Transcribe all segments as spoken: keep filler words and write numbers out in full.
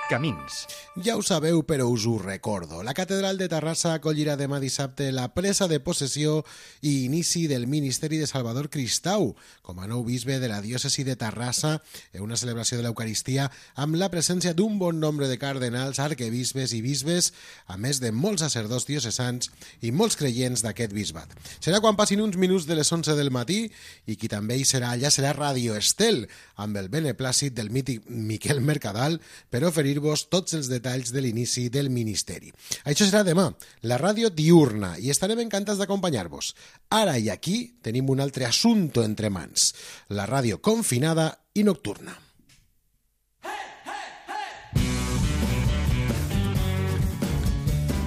Camins. Ja ho sabeu, però us ho recordo. La Catedral de Terrassa acollirà demà dissabte la presa de possessió i inici del Ministeri de Salvador Cristau com a nou bisbe de la diòcesi de Terrassa en una celebració de l'Eucaristia amb la presència d'un bon nombre de cardenals, arquebisbes i bisbes, a més de molts sacerdots diocesans i molts creients d'aquest bisbat. Serà quan passin uns minuts de les onze del matí i qui també hi serà allà serà Radio Estel, amb el beneplàcit del mític Miquel Mercadal per oferir-vos tots els detalls de l'inici del Ministeri. Això serà demà, la ràdio diurna, i estarem encantats d'acompanyar-vos. Ara i aquí tenim un altre assumpte entre mans, la ràdio confinada i nocturna.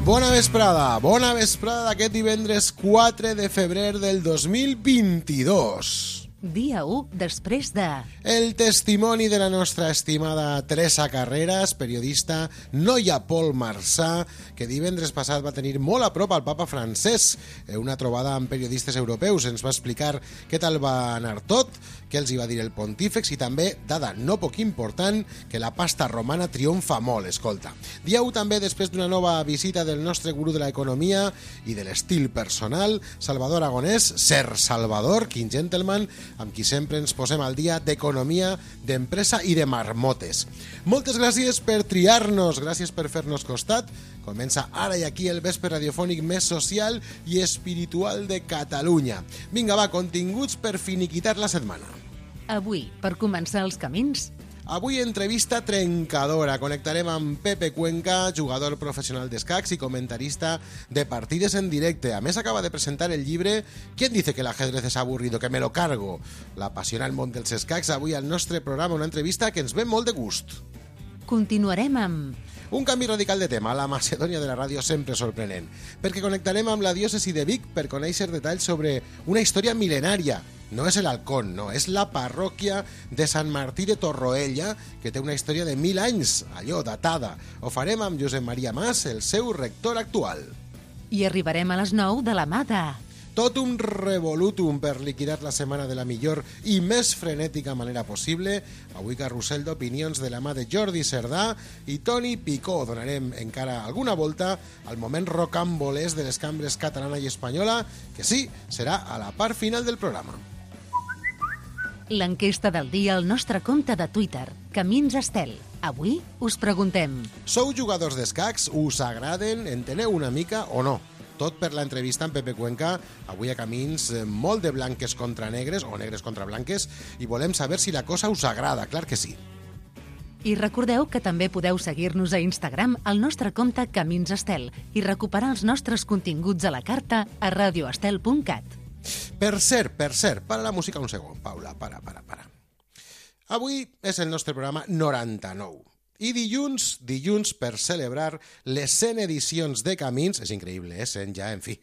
Bona vesprada, bona vesprada d'aquest divendres quatre de febrer del dos mil vint-i-dos. Dia u després de... El testimoni de la nostra estimada Teresa Carreras, periodista, noia Pol Marsà, que divendres passat va tenir molt a prop al papa francès. En una trobada amb periodistes europeus ens va explicar què tal va anar tot, què els hi va dir el pontífex i també, dada no poc important, que la pasta romana triomfa molt, escolta. Dia u també després d'una nova visita del nostre gurú de l'economia i de l'estil personal, Salvador Aragonès, Ser Salvador, quin gentleman, amb qui sempre ens posem al dia d'economia, d'empresa i de marmotes. Moltes gràcies per triar-nos, gràcies per fer-nos costat. Comença ara i aquí el vespre radiofònic més social i espiritual de Catalunya. Vinga, va, continguts per finiquitar la setmana. Avui, per començar els camins... Avui entrevista trencadora. Connectarem amb Pepe Cuenca, jugador professional d'escacs i comentarista de partides en directe. A més, acaba de presentar el llibre ¿Quién dice que el ajedrez es aburrido? Que me lo cargo. L'apassionant món dels escacs. Avui al nostre programa una entrevista que ens ve molt de gust. Continuarem amb... Un canvi radical de tema, la Macedònia de la ràdio sempre sorprenent, perquè connectarem amb la diòcesi de Vic per conèixer detalls sobre una història mil·lenària. No és el Alcón, no, és la parròquia de Sant Martí de Torroella, que té una història de mil anys, allò, datada. Ho farem amb Josep Maria Mas, el seu rector actual. I arribarem a les nou de la mà de... Tot un revolutum per liquidar la setmana de la millor i més frenètica manera possible. Avui carrusel d'opinions de la mà de Jordi Cerdà i Toni Picó. Donarem encara alguna volta al moment rocambolès de les cambres catalana i espanyola, que sí, serà a la part final del programa. L'enquesta del dia al nostre compte de Twitter, Camins Estel. Avui us preguntem... Sou jugadors d'escacs? Us agraden? Enteneu una mica o no? Tot per l'entrevista amb Pepe Cuenca, avui a Camins, molt de blanques contra negres, o negres contra blanques, i volem saber si la cosa us agrada, clar que sí. I recordeu que també podeu seguir-nos a Instagram al nostre compte Camins Estel i recuperar els nostres continguts a la carta a radio estel punt cat. Per cert, per cert, para la música un segon, Paula, para, para, para. Avui és el nostre programa noranta-nou. I dilluns, dilluns per celebrar les cent edicions de Camins, és increïble, eh, cent ja, en fi,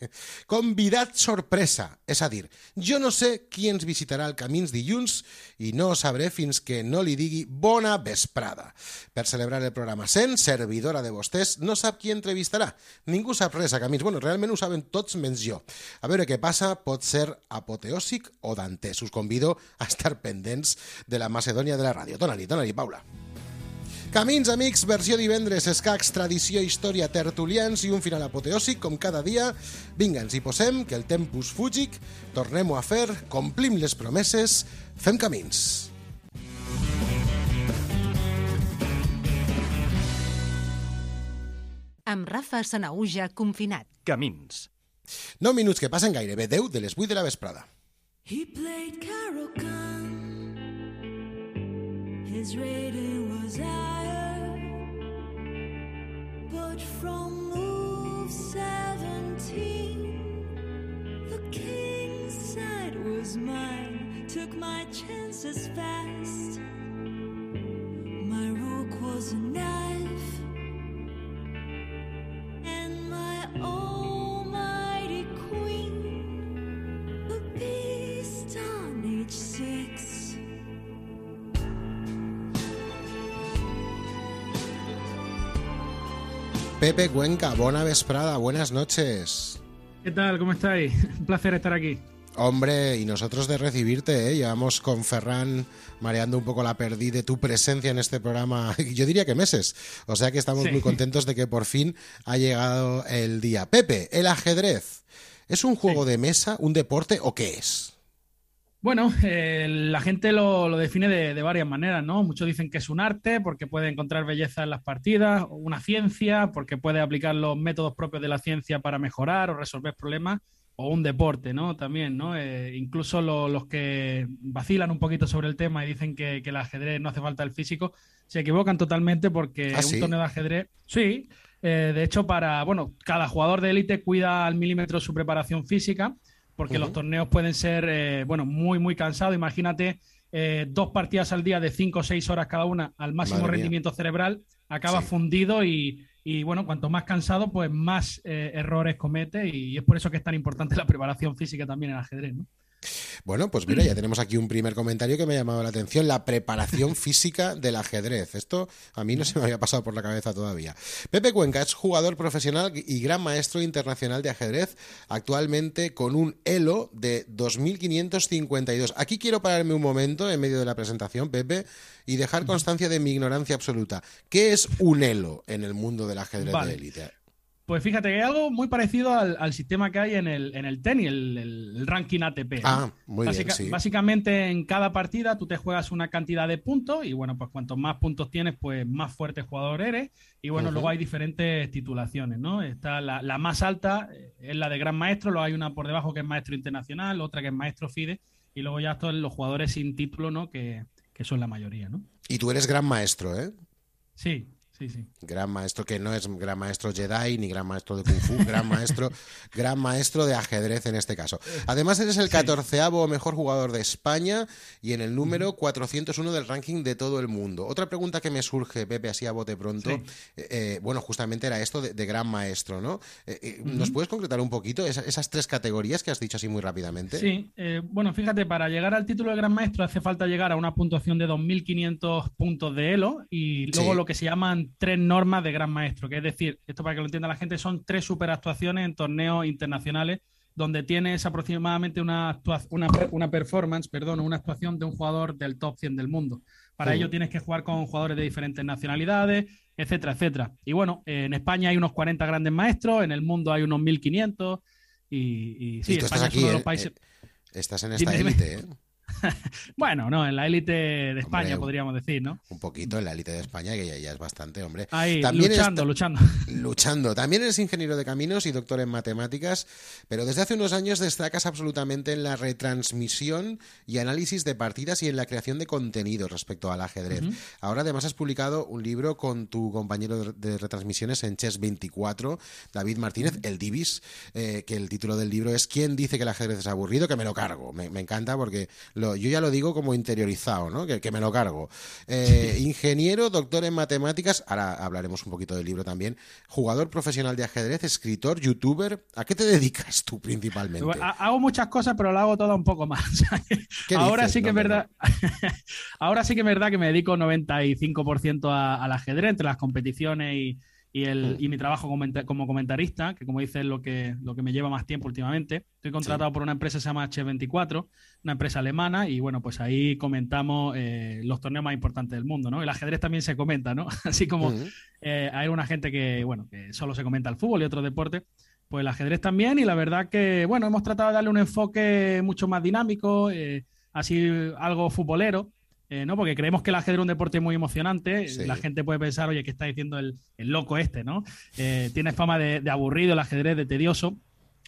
convidat sorpresa, és a dir, jo no sé qui ens visitarà el Camins dilluns i no ho sabré fins que no li digui bona vesprada. Per celebrar el programa cent, servidora de vostès no sap qui entrevistarà. Ningú sap res a Camins, bueno, realment ho saben tots menys jo. A veure què passa, pot ser apoteòsic o dantès. Us convido a estar pendents de la Macedònia de la ràdio. Dóna-li, dóna-li, Paula. Camins, amics, versió divendres, escacs, tradició, història, tertulians i un final apoteòsic, com cada dia. Vinga, ens hi posem, que el tempus fugit, tornem-ho a fer, complim les promeses, fem camins. Amb Rafa Sanahuja confinat. Camins. Nou minuts que passen gairebé deu de les vuit de la vesprada. He played Carol Gunn. His rating was higher, but from move seventeen, the king's side was mine. Took my chances fast. My rook was a knife, and my almighty queen, a beast on H six. Pepe Cuenca, buena vesprada, buenas noches. ¿Qué tal? ¿Cómo estáis? Un placer estar aquí. Hombre, y nosotros de recibirte, ¿eh? Llevamos con Ferran mareando un poco la perdiz de tu presencia en este programa, yo diría que meses. O sea que estamos sí. muy contentos de que por fin ha llegado el día. Pepe, el ajedrez, ¿es un juego sí. de mesa, un deporte o qué es? Bueno, eh, la gente lo, lo define de, de varias maneras, ¿no? Muchos dicen que es un arte porque puede encontrar belleza en las partidas, o una ciencia porque puede aplicar los métodos propios de la ciencia para mejorar o resolver problemas, o un deporte, ¿no? También, ¿no? Eh, incluso lo, los que vacilan un poquito sobre el tema y dicen que, que el ajedrez no hace falta el físico, se equivocan totalmente porque ¿Ah, sí? un torneo de ajedrez, sí, eh, de hecho para, bueno, cada jugador de élite cuida al milímetro su preparación física, porque uh-huh. los torneos pueden ser, eh, bueno, muy, muy cansados. Imagínate eh, dos partidas al día de cinco o seis horas cada una al máximo Madre rendimiento mía. cerebral, acaba sí. fundido y, y, bueno, cuanto más cansado, pues más eh, errores comete y es por eso que es tan importante la preparación física también en el ajedrez, ¿no? Bueno, pues mira, ya tenemos aquí un primer comentario que me ha llamado la atención, la preparación física del ajedrez. Esto a mí no se me había pasado por la cabeza todavía. Pepe Cuenca es jugador profesional y gran maestro internacional de ajedrez, actualmente con un elo de dos mil quinientos cincuenta y dos. Aquí quiero pararme un momento en medio de la presentación, Pepe, y dejar constancia de mi ignorancia absoluta. ¿Qué es un elo en el mundo del ajedrez vale. de élite? Pues fíjate que hay algo muy parecido al, al sistema que hay en el, en el tenis, el, el, el ranking A T P. Ah, muy Básica, bien, sí. Básicamente en cada partida tú te juegas una cantidad de puntos y bueno, pues cuantos más puntos tienes, pues más fuerte jugador eres. Y bueno, uh-huh. luego hay diferentes titulaciones, ¿no? Está la, la más alta, es la de Gran Maestro, luego hay una por debajo que es Maestro Internacional, otra que es Maestro FIDE y luego ya todos los jugadores sin título, ¿no? Que, que son la mayoría, ¿no? Y tú eres Gran Maestro, ¿eh? Sí. Sí, sí. Gran maestro, que no es gran maestro Jedi ni gran maestro de Kung Fu, gran maestro, gran maestro de ajedrez en este caso. Además eres el catorceavo mejor jugador de España y en el número cuatrocientos uno del ranking de todo el mundo. Otra pregunta que me surge, Pepe, así a bote pronto, sí. eh, bueno, justamente era esto de, de gran maestro, ¿no? Eh, eh, uh-huh. ¿Nos puedes concretar un poquito esa, esas tres categorías que has dicho así muy rápidamente? Sí, eh, bueno, fíjate, para llegar al título de gran maestro hace falta llegar a una puntuación de dos mil quinientos puntos de elo y luego sí. lo que se llaman tres normas de gran maestro, que es decir, esto para que lo entienda la gente, son tres superactuaciones en torneos internacionales donde tienes aproximadamente una, actua- una, una performance, perdón, una actuación de un jugador del top cien del mundo. Para sí. ello tienes que jugar con jugadores de diferentes nacionalidades, etcétera, etcétera. Y bueno, en España hay unos cuarenta grandes maestros, en el mundo hay unos mil quinientos y, y sí, y tú España estás aquí, es uno de los eh, países... eh, estás en esta élite, ¿eh? Bueno, no, en la élite de España, hombre, podríamos decir, ¿no? Un poquito en la élite de España, que ya, ya es bastante, hombre. Ahí, También luchando, está, luchando. Luchando. También eres ingeniero de caminos y doctor en matemáticas, pero desde hace unos años destacas absolutamente en la retransmisión y análisis de partidas y en la creación de contenido respecto al ajedrez. Uh-huh. Ahora además has publicado un libro con tu compañero de retransmisiones en Chess veinticuatro, David Martínez, uh-huh. el Divis, eh, que el título del libro es ¿Quién dice que el ajedrez es aburrido? Que me lo cargo. Me, me encanta porque lo, yo ya lo digo como interiorizado, ¿no? Que, que me lo cargo. Eh, ingeniero, doctor en matemáticas, ahora hablaremos un poquito del libro también, jugador profesional de ajedrez, escritor, youtuber. ¿A qué te dedicas tú principalmente? Hago muchas cosas, pero lo hago todo un poco más. Ahora dices? sí que no, es verdad. No. Ahora sí que es verdad que me dedico noventa y cinco por ciento a, al ajedrez entre las competiciones y, y, el, y mi trabajo como comentarista, que como dices es lo que, lo que me lleva más tiempo últimamente. Estoy contratado sí. por una empresa que se llama Chess veinticuatro, una empresa alemana, y bueno, pues ahí comentamos eh, los torneos más importantes del mundo, ¿no? El ajedrez también se comenta, ¿no? Así como uh-huh. eh, hay una gente que, bueno, que solo se comenta el fútbol y otros deportes, pues el ajedrez también, y la verdad que, bueno, hemos tratado de darle un enfoque mucho más dinámico, eh, así algo futbolero, Eh, ¿no? Porque creemos que el ajedrez es un deporte muy emocionante. Sí. La gente puede pensar, oye, ¿qué está diciendo el, el loco este, ¿no? Eh, tiene fama de, de aburrido el ajedrez, de tedioso,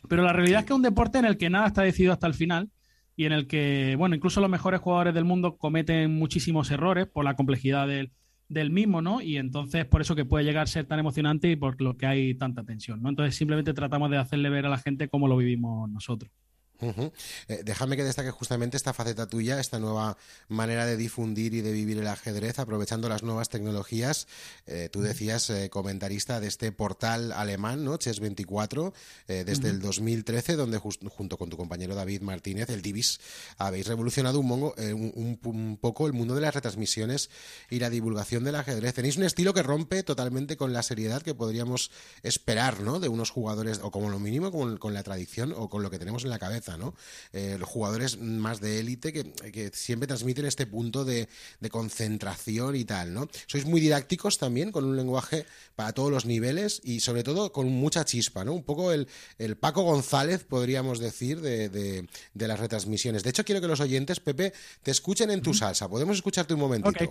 pero la realidad sí. es que es un deporte en el que nada está decidido hasta el final y en el que, bueno, incluso los mejores jugadores del mundo cometen muchísimos errores por la complejidad del, del mismo, ¿no? Y entonces por eso que puede llegar a ser tan emocionante y por lo que hay tanta tensión, ¿no? Entonces simplemente tratamos de hacerle ver a la gente cómo lo vivimos nosotros. Uh-huh. Eh, déjame que destaque justamente esta faceta tuya, esta nueva manera de difundir y de vivir el ajedrez aprovechando las nuevas tecnologías. Eh, tú decías eh, comentarista de este portal alemán, ¿no? Chess veinticuatro, eh, desde uh-huh. el dos mil trece, donde just, junto con tu compañero David Martínez, el Divis, habéis revolucionado un, mongo, eh, un, un, un poco el mundo de las retransmisiones y la divulgación del ajedrez. Tenéis un estilo que rompe totalmente con la seriedad que podríamos esperar, ¿no? De unos jugadores, o como lo mínimo con, con la tradición o con lo que tenemos en la cabeza. cabeza, ¿no? Eh, los jugadores más de élite que, que siempre transmiten este punto de, de concentración y tal, ¿no? Sois muy didácticos también, con un lenguaje para todos los niveles y sobre todo con mucha chispa, ¿no? Un poco el, el Paco González, podríamos decir, de, de, de las retransmisiones. De hecho, quiero que los oyentes, Pepe, te escuchen en tu salsa. ¿Podemos escucharte un momentito? Okay.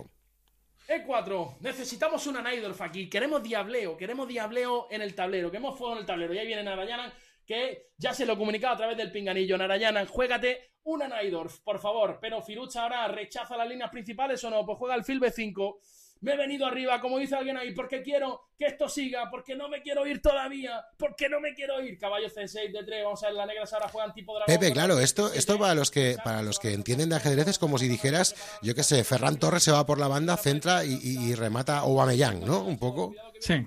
E cuatro, necesitamos una Naidorf aquí, queremos diableo, queremos diableo en el tablero, queremos fuego en el tablero. Y ahí viene Narayanan, que ya se lo he comunicado a través del pinganillo. Narayanan, juégate una Naidorf, por favor. Pero Firucha ahora rechaza las líneas principales o no, pues juega el fil be cinco. Me he venido arriba, como dice alguien ahí, porque quiero que esto siga, porque no me quiero ir todavía, porque no me quiero ir. Caballo ce seis de tres, vamos a ver, la negra ahora juegan tipo dragón. Pepe, claro, esto, esto para los que para los que entienden de ajedrez es como si dijeras, yo qué sé, Ferran Torres se va por la banda, centra y, y, y remata Aubameyang, ¿no? Un poco. Sí.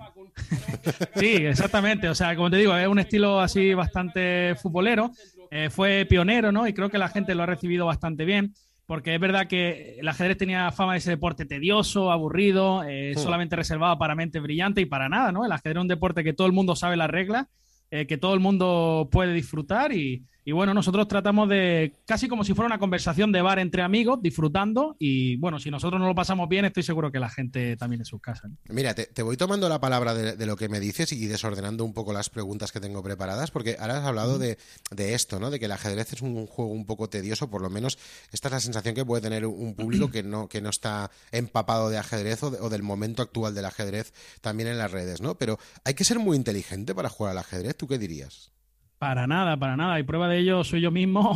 Sí, exactamente. O sea, como te digo, es un estilo así bastante futbolero. Eh, fue pionero, ¿no? Y creo que la gente lo ha recibido bastante bien. Porque es verdad que el ajedrez tenía fama de ese deporte tedioso, aburrido, eh, Sí. solamente reservado para mente brillante y para nada, ¿no? El ajedrez es un deporte que todo el mundo sabe las reglas, eh, que todo el mundo puede disfrutar y, y bueno, nosotros tratamos de, casi como si fuera una conversación de bar entre amigos, disfrutando y bueno, si nosotros no lo pasamos bien, estoy seguro que la gente también en sus casas, ¿no? Mira, te, te voy tomando la palabra de, de lo que me dices y desordenando un poco las preguntas que tengo preparadas, porque ahora has hablado de, de esto, ¿no? De que el ajedrez es un juego un poco tedioso, por lo menos esta es la sensación que puede tener un público que no, que no está empapado de ajedrez o, de, o del momento actual del ajedrez también en las redes, ¿no? Pero hay que ser muy inteligente para jugar al ajedrez, ¿tú qué dirías? Para nada, para nada. Y prueba de ello soy yo mismo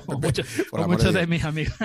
o, mucho- Por o amor muchos de de Dios. mis amigos.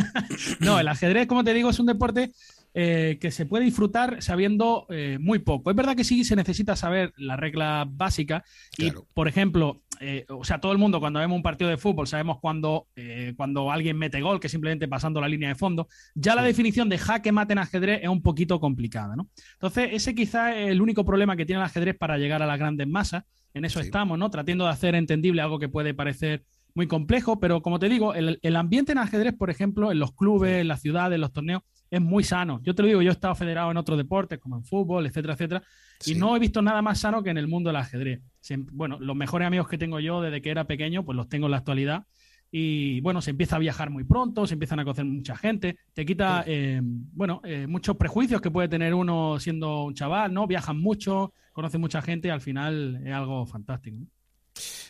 No, el ajedrez, como te digo, es un deporte eh, que se puede disfrutar sabiendo eh, muy poco. Es verdad que sí se necesita saber la regla básica y, Claro. por ejemplo, eh, o sea, todo el mundo cuando vemos un partido de fútbol sabemos cuando, eh, cuando alguien mete gol, que simplemente pasando la línea de fondo. Ya la Sí. definición de jaque mate en ajedrez es un poquito complicada, ¿no? Entonces, ese quizá es el único problema que tiene el ajedrez para llegar a las grandes masas. En eso Sí. estamos, ¿no? Tratando de hacer entendible algo que puede parecer muy complejo, pero como te digo, el, el ambiente en ajedrez, por ejemplo, en los clubes, en las ciudades, en los torneos, es muy sano. Yo te lo digo, yo he estado federado en otros deportes, como en fútbol, etcétera, etcétera, Sí. y no he visto nada más sano que en el mundo del ajedrez. Siem- Bueno, los mejores amigos que tengo yo desde que era pequeño, pues los tengo en la actualidad. Y bueno, se empieza a viajar muy pronto, se empiezan a conocer mucha gente, te quita, eh, bueno, eh, muchos prejuicios que puede tener uno siendo un chaval, ¿no? Viajan mucho, conocen mucha gente y al final es algo fantástico, ¿no?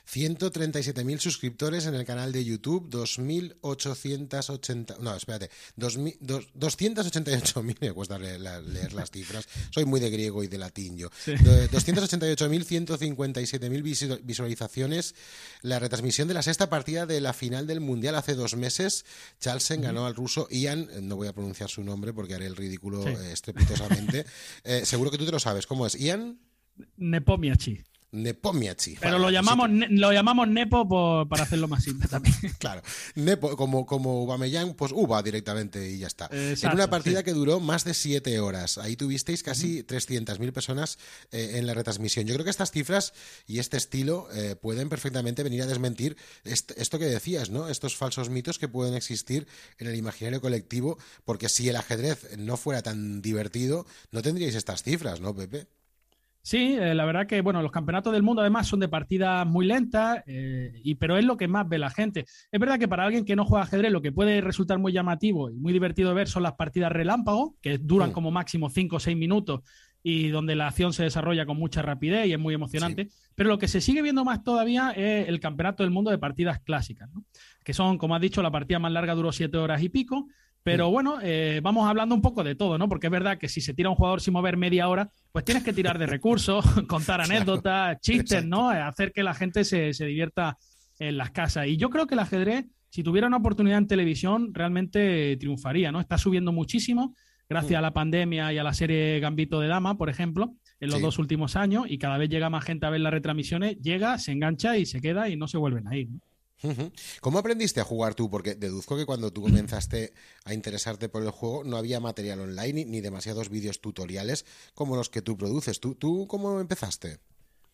ciento treinta y siete mil suscriptores en el canal de YouTube, dos mil ochocientos ochenta... No, espérate, dos mil, dos- doscientos ochenta y ocho mil, me cuesta leer, la- leer las cifras, soy muy de griego y de latín yo. Sí. Do- doscientos ochenta y ocho mil ciento cincuenta y siete mil visu- visualizaciones, la retransmisión de la sexta partida de la final del Mundial hace dos meses, Charlsen ganó al ruso Ian, eh, no voy a pronunciar su nombre porque haré el ridículo Sí. eh, estrepitosamente, Eh, seguro que tú te lo sabes, ¿cómo es? Ian Nepomiachi. Nepomiachi. Pero Vale, lo sí llamamos, que- ne- lo llamamos Nepo por- para hacerlo más simple también. Claro, Nepo, como, como Aubameyang, pues Uba directamente y ya está. Exacto, en una partida sí. que duró más de siete horas. Ahí tuvisteis casi trescientas mil personas eh, en la retransmisión. Yo creo que estas cifras y este estilo eh, pueden perfectamente venir a desmentir est- esto que decías, ¿no? Estos falsos mitos que pueden existir en el imaginario colectivo, porque si el ajedrez no fuera tan divertido, no tendríais estas cifras, ¿no, Pepe? Sí, eh, la verdad que bueno, los campeonatos del mundo además son de partidas muy lentas, eh, y, pero es lo que más ve la gente. Es verdad que para alguien que no juega ajedrez lo que puede resultar muy llamativo y muy divertido de ver son las partidas relámpago, que duran Mm. como máximo cinco o seis minutos y donde la acción se desarrolla con mucha rapidez y es muy emocionante. Pero lo que se sigue viendo más todavía es el campeonato del mundo de partidas clásicas, ¿no? Que son, como has dicho, la partida más larga duró siete horas y pico. Pero bueno, eh, vamos hablando un poco de todo, ¿no? Porque es verdad que si se tira un jugador sin mover media hora, pues tienes que tirar de recursos, contar anécdotas, chistes, ¿no? Hacer que la gente se, se divierta en las casas. Y yo creo que el ajedrez, si tuviera una oportunidad en televisión, realmente triunfaría, ¿no? Está subiendo muchísimo gracias a la pandemia y a la serie Gambito de Dama, por ejemplo, en los Sí. dos últimos años, y cada vez llega más gente a ver las retransmisiones, llega, se engancha y se queda y no se vuelven a ir, ¿no? Ujú. ¿Cómo aprendiste a jugar tú? Porque deduzco que cuando tú comenzaste a interesarte por el juego no había material online ni, ni demasiados vídeos tutoriales como los que tú produces. ¿Tú, tú cómo empezaste?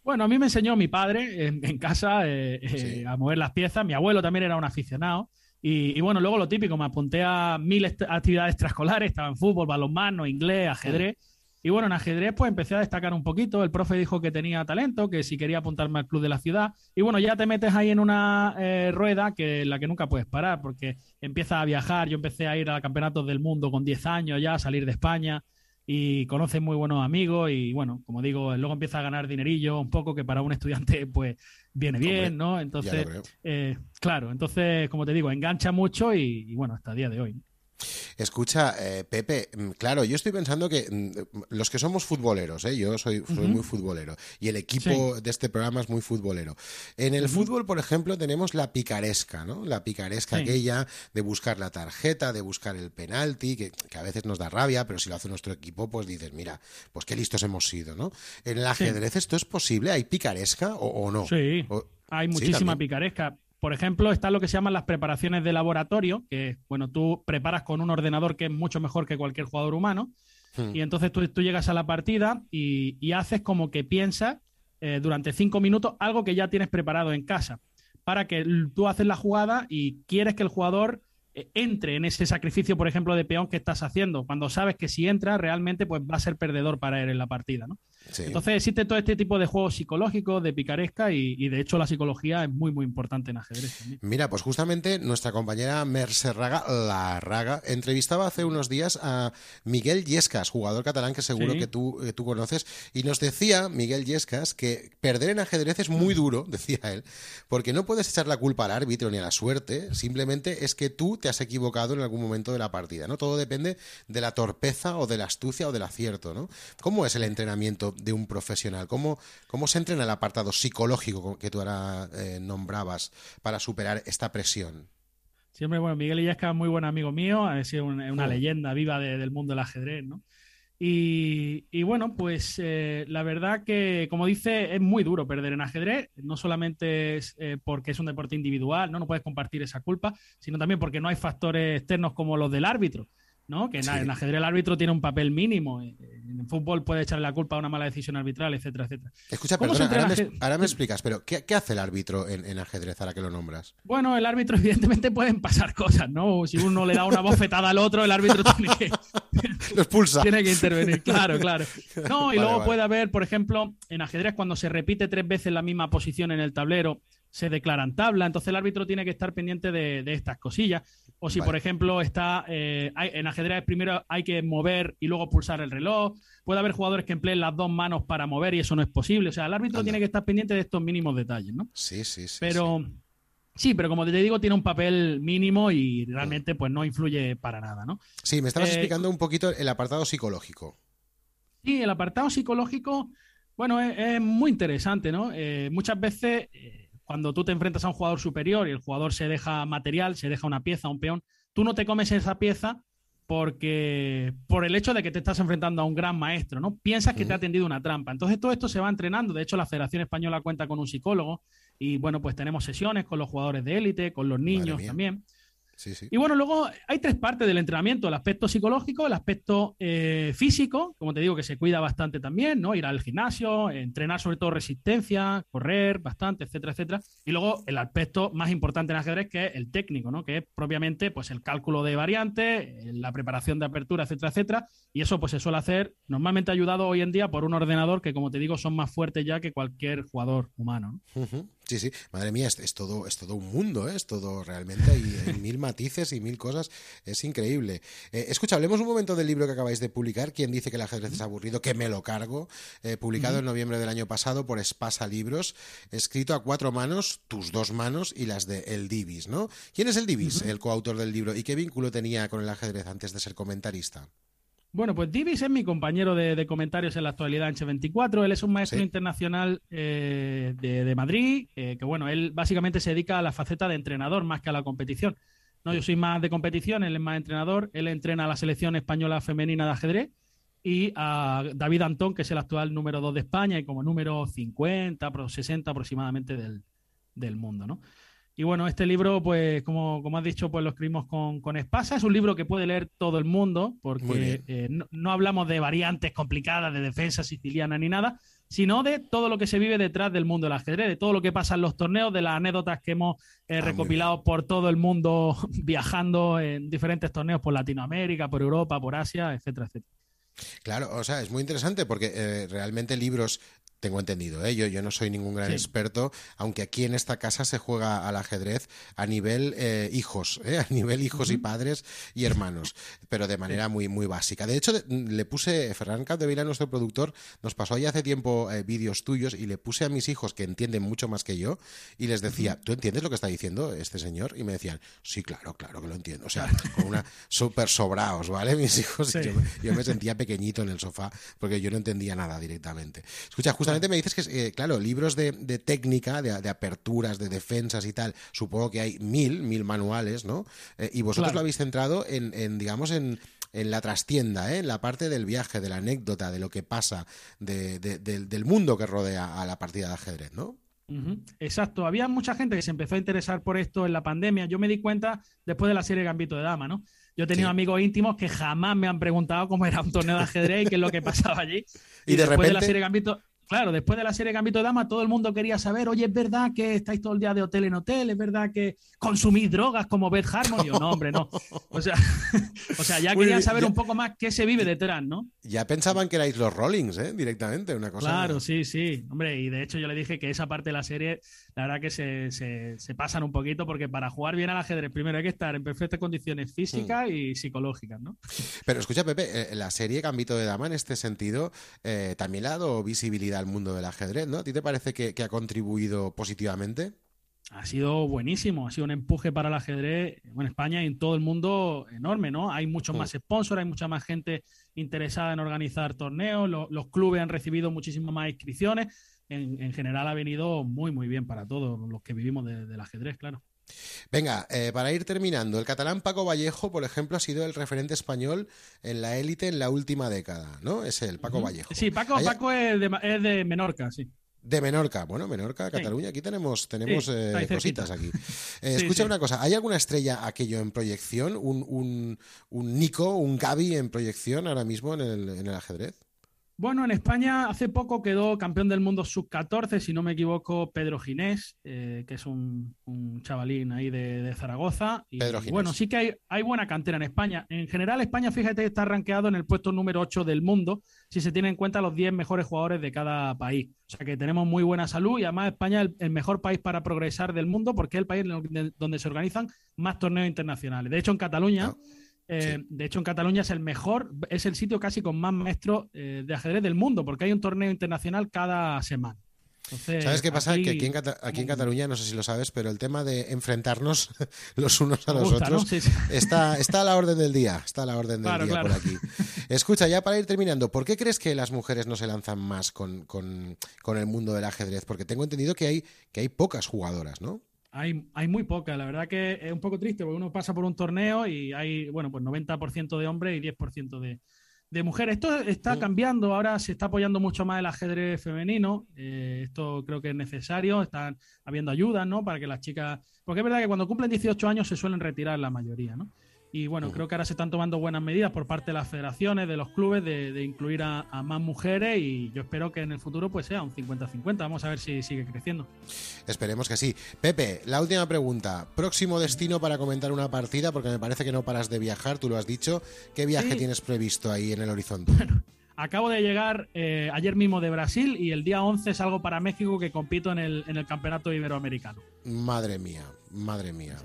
Bueno, a mí me enseñó mi padre en, en casa eh, eh, Sí. a mover las piezas. Mi abuelo también era un aficionado. Y, y bueno, luego lo típico, me apunté a mil est- actividades extraescolares, estaba en fútbol, balonmano, inglés, ajedrez. Y bueno, en ajedrez pues empecé a destacar un poquito. El profe dijo que tenía talento, que si quería apuntarme al club de la ciudad. Y bueno, ya te metes ahí en una eh, rueda que la que nunca puedes parar, porque empiezas a viajar. Yo empecé a ir a campeonatos del mundo con diez años ya, a salir de España y conoces muy buenos amigos y bueno, como digo, luego empiezas a ganar dinerillo un poco que para un estudiante pues viene bien, ¿no? Entonces, eh, claro, entonces como te digo, engancha mucho y, y bueno, hasta el día de hoy. Escucha, eh, Pepe, claro, yo estoy pensando que mm, los que somos futboleros, ¿eh? Yo soy, soy uh-huh. muy futbolero y el equipo sí. de este programa es muy futbolero. En el uh-huh. fútbol, por ejemplo, tenemos la picaresca, ¿no? La picaresca sí. aquella de buscar la tarjeta, de buscar el penalti, que, que a veces nos da rabia, pero si lo hace nuestro equipo, pues dices, mira, pues qué listos hemos sido, ¿no? En el ajedrez, sí. ¿esto es posible? ¿Hay picaresca o, o no? Sí, o, hay muchísima ¿sí, picaresca. Por ejemplo, está lo que se llaman las preparaciones de laboratorio, que bueno, tú preparas con un ordenador que es mucho mejor que cualquier jugador humano, hmm. y entonces tú, tú llegas a la partida y, y haces como que piensas eh, durante cinco minutos algo que ya tienes preparado en casa, para que tú haces la jugada y quieres que el jugador eh, entre en ese sacrificio, por ejemplo, de peón que estás haciendo, cuando sabes que si entra realmente pues va a ser perdedor para él en la partida, ¿no? Sí. Entonces existe todo este tipo de juegos psicológicos, de picaresca y, y de hecho la psicología es muy muy importante en ajedrez también. Mira, pues justamente nuestra compañera Mercè Raga, la Raga, entrevistaba hace unos días a Miguel Yescas, jugador catalán que seguro sí. que, tú, que tú conoces, y nos decía Miguel Yescas que perder en ajedrez es muy duro, decía él, porque no puedes echar la culpa al árbitro ni a la suerte, simplemente es que tú te has equivocado en algún momento de la partida, ¿no? Todo depende de la torpeza o de la astucia o del acierto, ¿no? ¿Cómo es el entrenamiento de un profesional? ¿Cómo, cómo se entrena el apartado psicológico que tú ahora eh, nombrabas para superar esta presión? Siempre, bueno, Miguel Illescas es muy buen amigo mío, ha sido una, una oh. leyenda viva de, del mundo del ajedrez, ¿no? Y, y bueno, pues eh, la verdad que, como dice, es muy duro perder en ajedrez, no solamente es eh, porque es un deporte individual, ¿no? No puedes compartir esa culpa, sino también porque no hay factores externos como los del árbitro, ¿no? Que sí. en ajedrez el árbitro tiene un papel mínimo. En fútbol puede echarle la culpa a una mala decisión arbitral, etcétera, etcétera. Escucha, perdona, ahora me, ahora me explicas, pero ¿qué, qué hace el árbitro en, en ajedrez ahora que lo nombras? Bueno, el árbitro evidentemente pueden pasar cosas, ¿no? Si uno le da una bofetada al otro, el árbitro tiene que... lo expulsa. Tiene que intervenir, claro, claro. No, y vale, luego vale. puede haber, por ejemplo, en ajedrez cuando se repite tres veces la misma posición en el tablero, se declaran tabla, entonces el árbitro tiene que estar pendiente de, de estas cosillas. O si, vale. por ejemplo, está eh, hay, en ajedrez primero hay que mover y luego pulsar el reloj. Puede haber jugadores que empleen las dos manos para mover y eso no es posible. O sea, el árbitro Anda. tiene que estar pendiente de estos mínimos detalles, ¿no? Sí, sí, sí. Pero sí, sí pero como te digo, tiene un papel mínimo y realmente pues no influye para nada, ¿no? Sí, me estabas eh, explicando un poquito el apartado psicológico. Sí, el apartado psicológico, bueno, es, es muy interesante, ¿no? Eh, muchas veces... Eh, Cuando tú te enfrentas a un jugador superior y el jugador se deja material, se deja una pieza, un peón, tú no te comes esa pieza porque por el hecho de que te estás enfrentando a un gran maestro, ¿no? Piensas que te ha tendido una trampa. Entonces todo esto se va entrenando. De hecho, la Federación Española cuenta con un psicólogo y, bueno, pues tenemos sesiones con los jugadores de élite, con los niños también. Sí, sí. Y bueno, luego hay tres partes del entrenamiento: el aspecto psicológico, el aspecto eh, físico, como te digo, que se cuida bastante también, ¿no? Ir al gimnasio, entrenar sobre todo resistencia, correr bastante, etcétera, etcétera. Y luego el aspecto más importante en ajedrez, que es el técnico, ¿no? Que es propiamente pues el cálculo de variantes, la preparación de apertura, etcétera, etcétera. Y eso pues se suele hacer normalmente ayudado hoy en día por un ordenador que, como te digo, son más fuertes ya que cualquier jugador humano, ¿no? Uh-huh. Sí, sí, madre mía, es, es todo es todo un mundo, ¿eh? Es todo realmente, hay, hay mil matices y mil cosas, es increíble. Eh, escucha, hablemos un momento del libro que acabáis de publicar, ¿Quién dice que el ajedrez es aburrido? Que me lo cargo, eh, publicado uh-huh. en noviembre del año pasado por Espasa Libros, escrito a cuatro manos, tus dos manos y las de El Divis, ¿no? ¿Quién es El Divis, uh-huh. el coautor del libro, y qué vínculo tenía con el ajedrez antes de ser comentarista? Bueno, pues Divis es mi compañero de, de comentarios en la actualidad en Che veinticuatro. Él es un maestro ¿Sí? internacional eh, de, de Madrid, eh, que bueno, él básicamente se dedica a la faceta de entrenador más que a la competición. No, yo soy más de competición, él es más entrenador. Él entrena a la selección española femenina de ajedrez y a David Antón, que es el actual número dos de España y como número cincuenta, sesenta aproximadamente del, del mundo, ¿no? Y bueno, este libro, pues como, como has dicho, pues lo escribimos con, con Espasa. Es un libro que puede leer todo el mundo porque eh, no, no hablamos de variantes complicadas, de defensa siciliana ni nada, sino de todo lo que se vive detrás del mundo del ajedrez, de todo lo que pasa en los torneos, de las anécdotas que hemos eh, ah, recopilado por todo el mundo viajando en diferentes torneos por Latinoamérica, por Europa, por Asia, etcétera, etcétera. Claro, o sea, es muy interesante porque eh, realmente libros... Tengo entendido, ¿eh? yo, yo no soy ningún gran Sí. experto, aunque aquí en esta casa se juega al ajedrez a nivel eh, hijos, ¿eh? a nivel hijos y padres y hermanos, pero de manera muy muy básica. De hecho, de- le puse, Ferran Capdevila, nuestro productor, nos pasó ya hace tiempo eh, vídeos tuyos y le puse a mis hijos, que entienden mucho más que yo, y les decía, ¿tú entiendes lo que está diciendo este señor? Y me decían, sí, claro, claro que lo entiendo. O sea, con una súper sobraos, ¿vale? Mis hijos, y Sí. yo, yo me sentía pequeñito en el sofá porque yo no entendía nada directamente. Escucha, justamente me dices que, eh, claro, libros de, de técnica, de, de aperturas, de defensas y tal, supongo que hay mil, mil manuales, ¿no? Eh, y vosotros Claro. lo habéis centrado en, en digamos, en, en la trastienda, ¿eh? En la parte del viaje, de la anécdota, de lo que pasa, de, de- del, del mundo que rodea a la partida de ajedrez, ¿no? Ujú, exacto, había mucha gente que se empezó a interesar por esto en la pandemia. Yo me di cuenta después de la serie Gambito de Dama, ¿no? Yo he tenido Sí. amigos íntimos que jamás me han preguntado cómo era un torneo de ajedrez y qué es lo que pasaba allí. Y de después de la repente- serie Gambito, claro, después de la serie Gambito de Dama, todo el mundo quería saber, oye, ¿es verdad que estáis todo el día de hotel en hotel? ¿Es verdad que consumís drogas como Beth Harmon? Y yo, no, hombre, no. O sea, o sea ya Muy querían bien, saber ya- un poco más qué se vive detrás, ¿no? Ya pensaban que erais los Rollings, ¿eh? Directamente, una cosa... Claro, sí, sí. Hombre, y de hecho yo le dije que esa parte de la serie, la verdad que se, se- se pasan un poquito porque para jugar bien al ajedrez primero hay que estar en perfectas condiciones físicas Mm. y psicológicas, ¿no? Pero escucha, Pepe, eh, la serie Gambito de Dama en este sentido eh, también le ha dado visibilidad al mundo del ajedrez, ¿no? ¿A ti te parece que, que ha contribuido positivamente? Ha sido buenísimo, ha sido un empuje para el ajedrez en España y en todo el mundo enorme, ¿no? Hay muchos Mm. más sponsors, hay mucha más gente interesada en organizar torneos, lo- los clubes han recibido muchísimas más inscripciones. En, en general ha venido muy, muy bien para todos los que vivimos de- del ajedrez, claro. Venga, eh, para ir terminando, el catalán Paco Vallejo, por ejemplo, ha sido el referente español en la élite en la última década, ¿no? Es el Paco Ujú. Vallejo. Sí, Paco, Hay- Paco es, de, es de Menorca, sí. De Menorca, bueno, Menorca, Sí. Cataluña, aquí tenemos, tenemos Sí, eh, está ahí cerquita. cositas aquí. Eh, Sí, escucha sí. una cosa, ¿hay alguna estrella aquello en proyección? ¿Un, un, un Nico, un Gaby en proyección ahora mismo en el, en el ajedrez? Bueno, en España hace poco quedó campeón del mundo sub catorce, si no me equivoco, Pedro Ginés, eh, que es un, un chavalín ahí de, de Zaragoza. Y, Pedro Ginés. bueno, sí que hay, hay buena cantera en España. En general, España, fíjate, está rankeado en el puesto número ocho del mundo, si se tiene en cuenta los diez mejores jugadores de cada país. O sea que tenemos muy buena salud y además España es el, el mejor país para progresar del mundo porque es el país en el- donde se organizan más torneos internacionales. De hecho, en Cataluña... No. Eh, Sí. De hecho, en Cataluña es el mejor, es el sitio casi con más maestros eh, de ajedrez del mundo, porque hay un torneo internacional cada semana. Entonces, ¿Sabes qué pasa? aquí- Que aquí en, Cata- aquí en Cataluña, no sé si lo sabes, pero el tema de enfrentarnos los unos a me los gusta, ¿no? otros Sí, sí. está, está a la orden del día. Está a la orden del Claro, día claro. por aquí. Escucha, ya para ir terminando, ¿por qué crees que las mujeres no se lanzan más con, con- con el mundo del ajedrez? Porque tengo entendido que hay, que hay pocas jugadoras, ¿no? Hay, hay muy pocas, la verdad que es un poco triste, porque uno pasa por un torneo y hay, bueno, pues noventa por ciento de hombres y diez por ciento de, de mujeres. Esto está Mm. cambiando, ahora se está apoyando mucho más el ajedrez femenino, eh, esto creo que es necesario, están habiendo ayudas, ¿no? Para que las chicas, porque es verdad que cuando cumplen dieciocho años se suelen retirar la mayoría, ¿no? Y bueno, Ujú. creo que ahora se están tomando buenas medidas por parte de las federaciones, de los clubes, de, de incluir a, a más mujeres y yo espero que en el futuro pues sea un cincuenta cincuenta. Vamos a ver si sigue creciendo. Esperemos que sí. Pepe, la última pregunta. Próximo destino para comentar una partida, porque me parece que no paras de viajar, tú lo has dicho. ¿Qué viaje Sí. tienes previsto ahí en el horizonte? Acabo de llegar eh, ayer mismo de Brasil y el día once salgo para México que compito en el, en el campeonato iberoamericano. Madre mía, madre mía.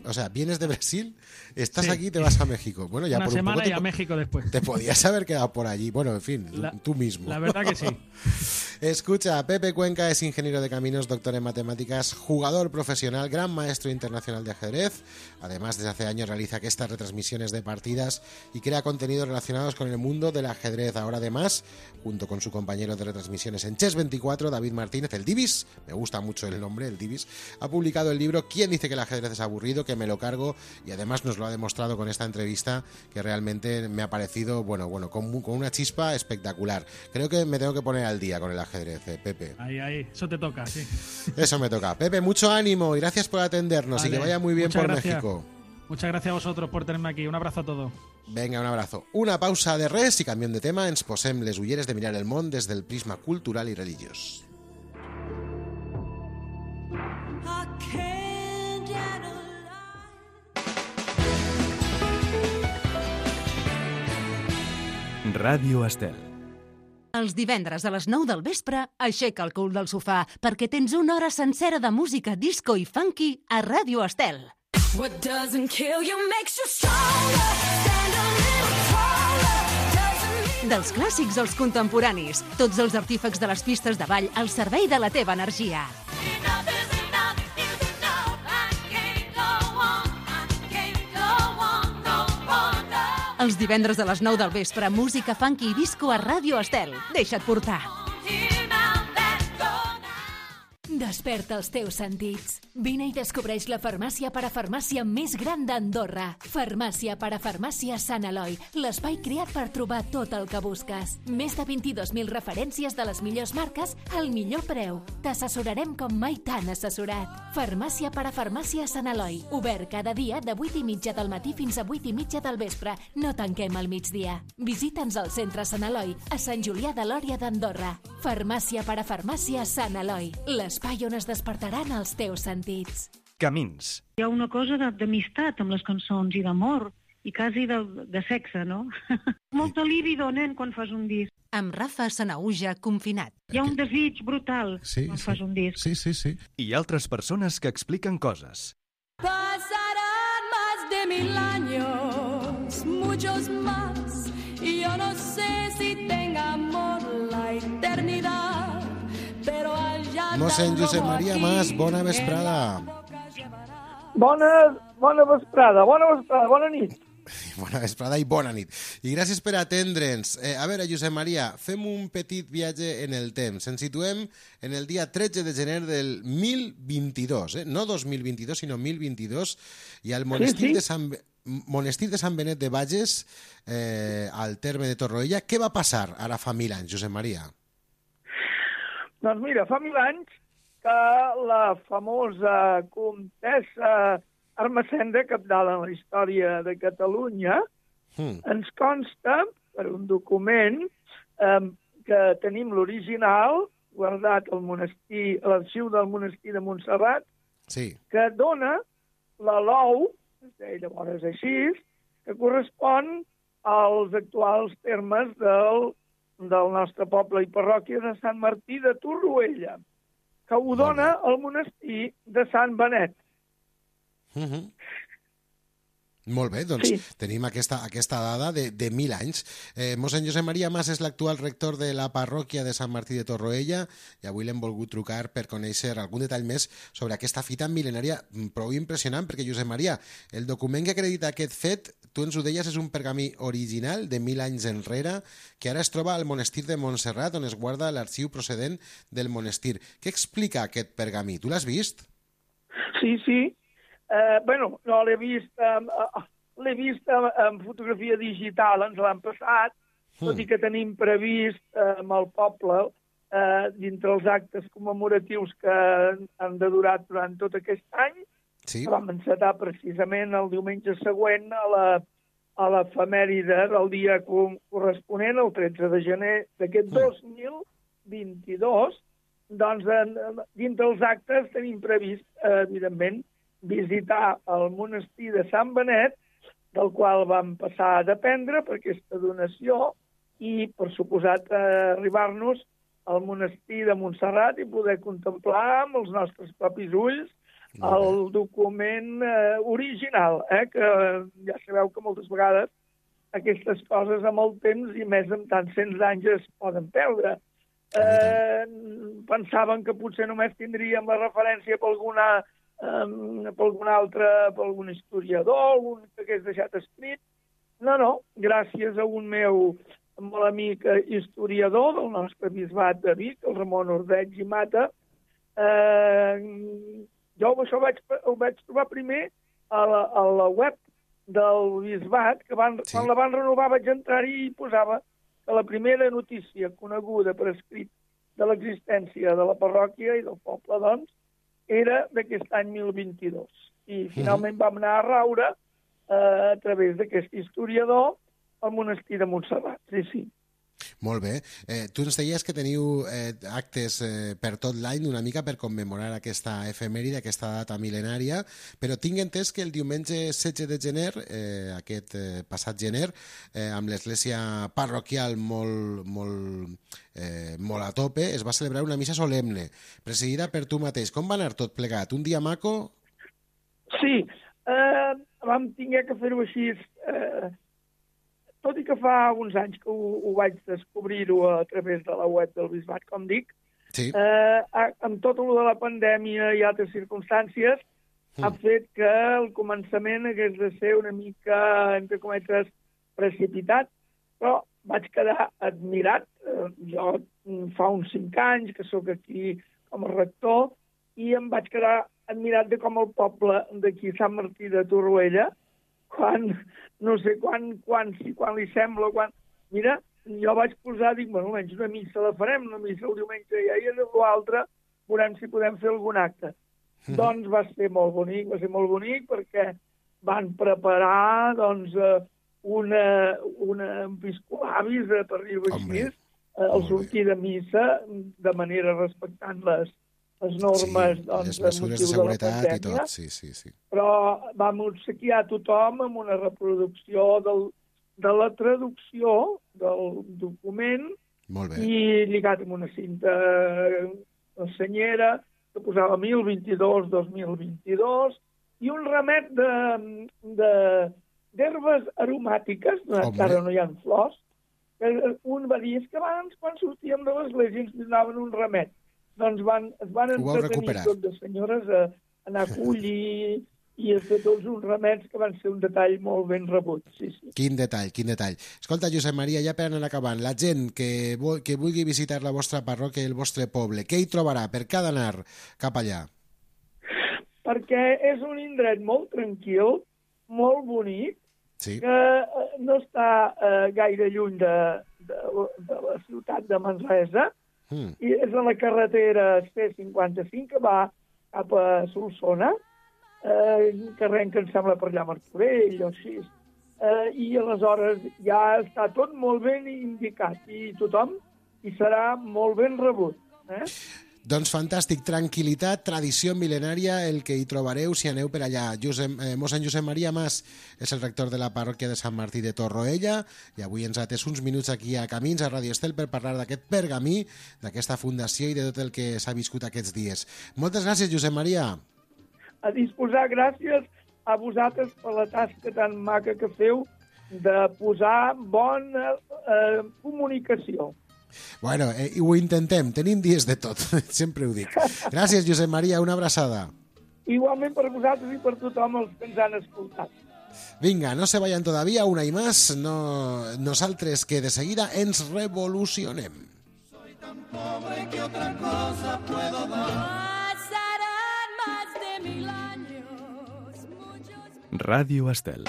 O sea, vienes de Brasil, estás Sí. aquí y te vas a México. Bueno, ya Una por un semana poco y te, a po- México después. te podías haber quedado por allí. Bueno, en fin, La- tú mismo. La verdad que sí. Escucha, Pepe Cuenca es ingeniero de caminos, doctor en matemáticas, jugador profesional, gran maestro internacional de ajedrez. Además, desde hace años realiza estas retransmisiones de partidas y crea contenidos relacionados con el mundo del ajedrez. Ahora, además, junto con su compañero de retransmisiones en Chess veinticuatro, David Martínez, el Divis, me gusta mucho el nombre, el Divis, ha publicado el libro ¿Quién dice que el ajedrez es aburrido? Que me lo cargo, y además nos lo ha demostrado con esta entrevista que realmente me ha parecido, bueno, bueno, con, mu- con una chispa espectacular. Creo que me tengo que poner al día con el ajedrez, eh, Pepe. Ahí, ahí. Eso te toca, sí. Eso me toca. Pepe, mucho ánimo y gracias por atendernos y Vale, que vaya muy bien muchas por gracias. México. Muchas gracias a vosotros por tenerme aquí. Un abrazo a todos. Venga, un abrazo. Una pausa de res y canviant de tema ens posem les ulleres de mirar el món des del prisma cultural i religiós. I can't analyze. Ràdio Estel. Els divendres a les nou del vespre, aixeca el cul del sofà perquè tens una hora sencera de música disco i funky a Ràdio Estel. What doesn't kill you makes you stronger. Stand a little taller. Doesn't Dels clàssics als contemporanis, tots els artífecs de les pistes de ball al servei de la teva energia. enough is enough is enough. I can't go on. I can't go on no more. No. Els divendres a les nou del vespre, música funky i disco a Ràdio Estel. Deixa't portar. Here now, let's go now. Desperta els teus sentits. Vine i descobreix la farmàcia parafarmàcia més gran d'Andorra. Farmàcia parafarmàcia Sant Eloi, l'espai creat per trobar tot el que busques. Més de vint-i-dos mil referències de les millors marques al millor preu. T'assessorarem com mai t'han assessorat. Farmàcia parafarmàcia Sant Eloi, obert cada dia de vuit i mitja del matí fins a vuit i mitja del vespre. No tanquem al migdia. Visita'ns al centre Sant Eloi, a Sant Julià de Lòria d'Andorra. Farmàcia parafarmàcia Sant Eloi, l'espai on es despertaran els teus sentits. Camins. Hi ha una cosa de- d'amistat amb les cançons i d'amor i quasi de, de sexe, no? Molta líbido, nen, quan fas un disc. Amb Rafa Sanauja confinat. Hi ha un desig brutal Sí, quan sí. fas un disc. Sí, sí, sí. I altres persones que expliquen coses. Pasarán más de mil años, muchos más, y yo no sé si tenga amor la eternidad, pero allá Mossèn Josep Maria Mas, bona vesprada. Bona, bona vesprada, bona vesprada, bona nit. Bona vesprada i bona nit. I gràcies per atendre'ns. Eh, a veure, Josep Maria, fem un petit viatge en el temps. Ens situem en el dia tretze de gener del mil vint-i-dos, eh? No dos mil vint-i-dos, sinó mil vint-i-dos, i al monestir, sí. de Sant, monestir de Sant Benet de Bages, eh, al terme de Torroella. Què va passar ara fa mil anys, Josep Maria? Doncs mira, fa mil anys que la famosa comtessa Ermessenda, capdalt en la història de Catalunya, Hmm. ens consta, per un document, eh, que tenim l'original, guardat al monestir, a l'arxiu del monestir de Montserrat, Sí. que dona la l'ou, es deia llavors així, que correspon als actuals termes del, del nostre poble i parròquia de Sant Martí de Torroella, que ho dona el monestir de Sant Benet. Uh -huh. Molt bé, doncs Sí. tenim aquesta, aquesta dada de, de mil anys. Eh, mossèn Josep Maria Mas és l'actual rector de la parròquia de Sant Martí de Torroella i avui l'hem volgut trucar per conèixer algun detall més sobre aquesta fita mil·lenària prou impressionant, perquè, Josep Maria, el document que acredita aquest fet, tu ens ho deies, és un pergamí original de mil anys enrere que ara es troba al monestir de Montserrat, on es guarda l'arxiu procedent del monestir. Què explica aquest pergamí? Tu l'has vist? Sí, sí. Eh, bueno, no l'he vist, eh, l'he vist en, en fotografia digital, ens l'han passat, tot i que tenim previst eh, amb el poble, eh, dintre els actes commemoratius que han de durar durant tot aquest any, Sí. vam encetar precisament el diumenge següent a la, a l'efemèride del dia co- corresponent, el tretze de gener d'aquest dos mil vint-i-dos, doncs en, dintre els actes tenim previst, eh, evidentment, visitar el monestir de Sant Benet, del qual vam passar a dependre per aquesta donació, i, per suposat, eh, arribar-nos al monestir de Montserrat i poder contemplar amb els nostres propis ulls el document eh, original, eh, que ja sabeu que moltes vegades aquestes coses amb el temps i més amb tants cents anys es poden perdre. Eh, pensaven que potser només tindríem la referència per alguna, um, per algun altre, per algun historiador, algun que hagués deixat escrit. No, no, gràcies a un meu molt amic eh, historiador del nostre bisbat de Vic, el Ramon Ordeig i Mata, eh, jo això ho vaig, ho vaig trobar primer a la, a la web del bisbat, que van, Sí. quan la van renovar vaig entrar-hi i posava que la primera notícia coneguda per escrit de l'existència de la parròquia i del poble, doncs, era d'aquest any mil vint-i-dos. I finalment vam anar a raure eh, a través d'aquest historiador al monestir de Montserrat. Sí, sí. Molt bé. Eh, tu ens deies que teniu eh, actes eh, per tot l'any una mica per commemorar aquesta efemèride, aquesta data mil·lenària, però tinc entès que el diumenge setze de gener, eh, aquest eh, passat gener, eh, amb l'església parroquial molt, molt, eh, molt a tope, es va celebrar una missa solemne, presidida per tu mateix. Com va anar tot plegat? Un dia maco? Sí, eh, vam tinguer que fer-ho així... Eh, tot i que fa uns anys que ho, ho vaig descobrir-ho a través de la web del Bisbat, com dic, sí. eh, amb tot el de la pandèmia i altres circumstàncies, mm. ha fet que el començament hagués de ser una mica, entre cometes, precipitat, però vaig quedar admirat. Eh, jo fa uns cinc anys que sóc aquí com a rector i em vaig quedar admirat de com el poble d'aquí, Sant Martí de Torroella, quan, no sé quan, quan, si quan li sembla, quan... Mira, jo vaig posar, dic, bueno, almenys una missa la farem, una missa el diumenge ja, i l'altre veurem si podem fer algun acte. Mm. Doncs va ser molt bonic, va ser molt bonic perquè van preparar, doncs, una, una episcolavis, per dir-ho així, al sortir de missa, de manera respectant les les normes, sí, doncs, les mesures de seguretat i tot, sí, sí, sí. Però vam obsequiar tothom amb una reproducció del, de la traducció del document i lligat amb una cinta senyera que posava mil vint-i-dos dos mil vint-i-dos i un remet de, de, d'herbes aromàtiques, encara no hi ha flors, que un va dir, és que abans quan sortíem de l'església ens donaven un remet. Doncs van, es van entretenir tot de senyores a anar a collir i a fer tots uns remets que van ser un detall molt ben rebut. Sí, sí. Quin detall, quin detall. Escolta, Josep Maria, ja per anar acabant, la gent que, vol, que vulgui visitar la vostra parròquia i el vostre poble, què hi trobarà? Per què ha d'anar cap allà? Perquè és un indret molt tranquil, molt bonic, sí. que no està eh, gaire lluny de, de, de la ciutat de Manresa, Mm. i és a la carretera C cinquanta-cinc que va cap a Solsona, eh, que arrenca, em sembla, per allà a Martorell o així. Eh, I aleshores ja està tot molt ben indicat i tothom hi serà molt ben rebut. Eh? Doncs fantàstic, tranquil·litat, tradició mil·lenària, el que hi trobareu si aneu per allà. Josep, eh, mossèn Josep Maria Mas és el rector de la parròquia de Sant Martí de Torroella i avui ens ha atès uns minuts aquí a Camins, a Radio Estel, per parlar d'aquest pergamí, d'aquesta fundació i de tot el que s'ha viscut aquests dies. Moltes gràcies, Josep Maria. A disposar, gràcies a vosaltres per la tasca tan maca que feu de posar bona eh, comunicació. Bueno, eh, ho intentem, tenim dies de tot, sempre ho dic. Gràcies, Josep Maria, una abraçada. Igualment per vosaltres i per tothom els que ens han escoltat. Vinga, no se vayan todavía, una y más, no, nosaltres que de seguida ens revolucionem. Soy tan pobre que otra cosa puedo dar. Pasarán más de mil años, muchos... Radio Estel.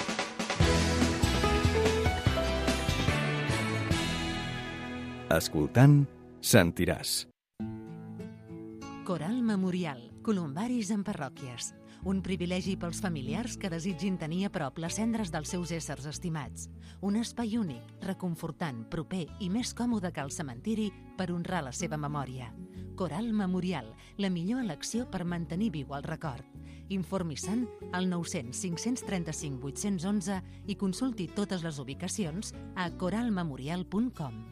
Escoltant, sentiràs. Coral Memorial, columbaris en parròquies. Un privilegi pels familiars que desitgin tenir a prop les cendres dels seus éssers estimats. Un espai únic, reconfortant, proper i més còmode que el cementiri per honrar la seva memòria. Coral Memorial, la millor elecció per mantenir viu el record. Informi-se'n al nou cents cinc cents trenta-cinc vuit-cents onze i consulti totes les ubicacions a coral memorial punt com.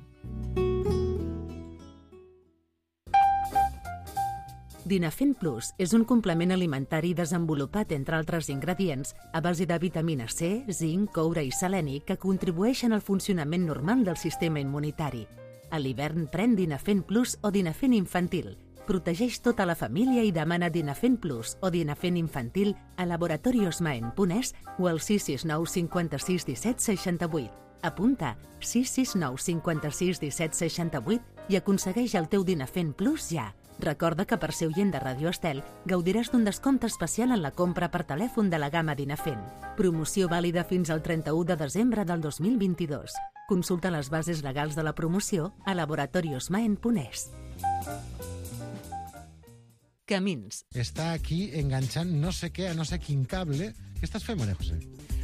Dinafen Plus és un complement alimentari desenvolupat, entre altres ingredients, a base de vitamina C, zinc, coure i seleni que contribueixen al funcionament normal del sistema immunitari. A l'hivern pren Dinafen Plus o Dinafen Infantil. Protegeix tota la família i demana Dinafen Plus o Dinafen Infantil a laboratoriosmaen punt es o al sis sis nou cinquanta-sis disset seixanta-vuit. Apunta sis sis nou cinquanta-sis disset seixanta-vuit i aconsegueix el teu Dinafen Plus ja. Recorda que per ser oient de Radio Estel gaudiràs d'un descompte especial en la compra per telèfon de la gamma Dinafen. Promoció vàlida fins al trenta-u de desembre del dos mil vint-i-dos. Consulta les bases legals de la promoció a laboratoriosmaen punt es. Camins. Està aquí enganxant no sé què a no sé quin cable. Què estàs fent, Maria José?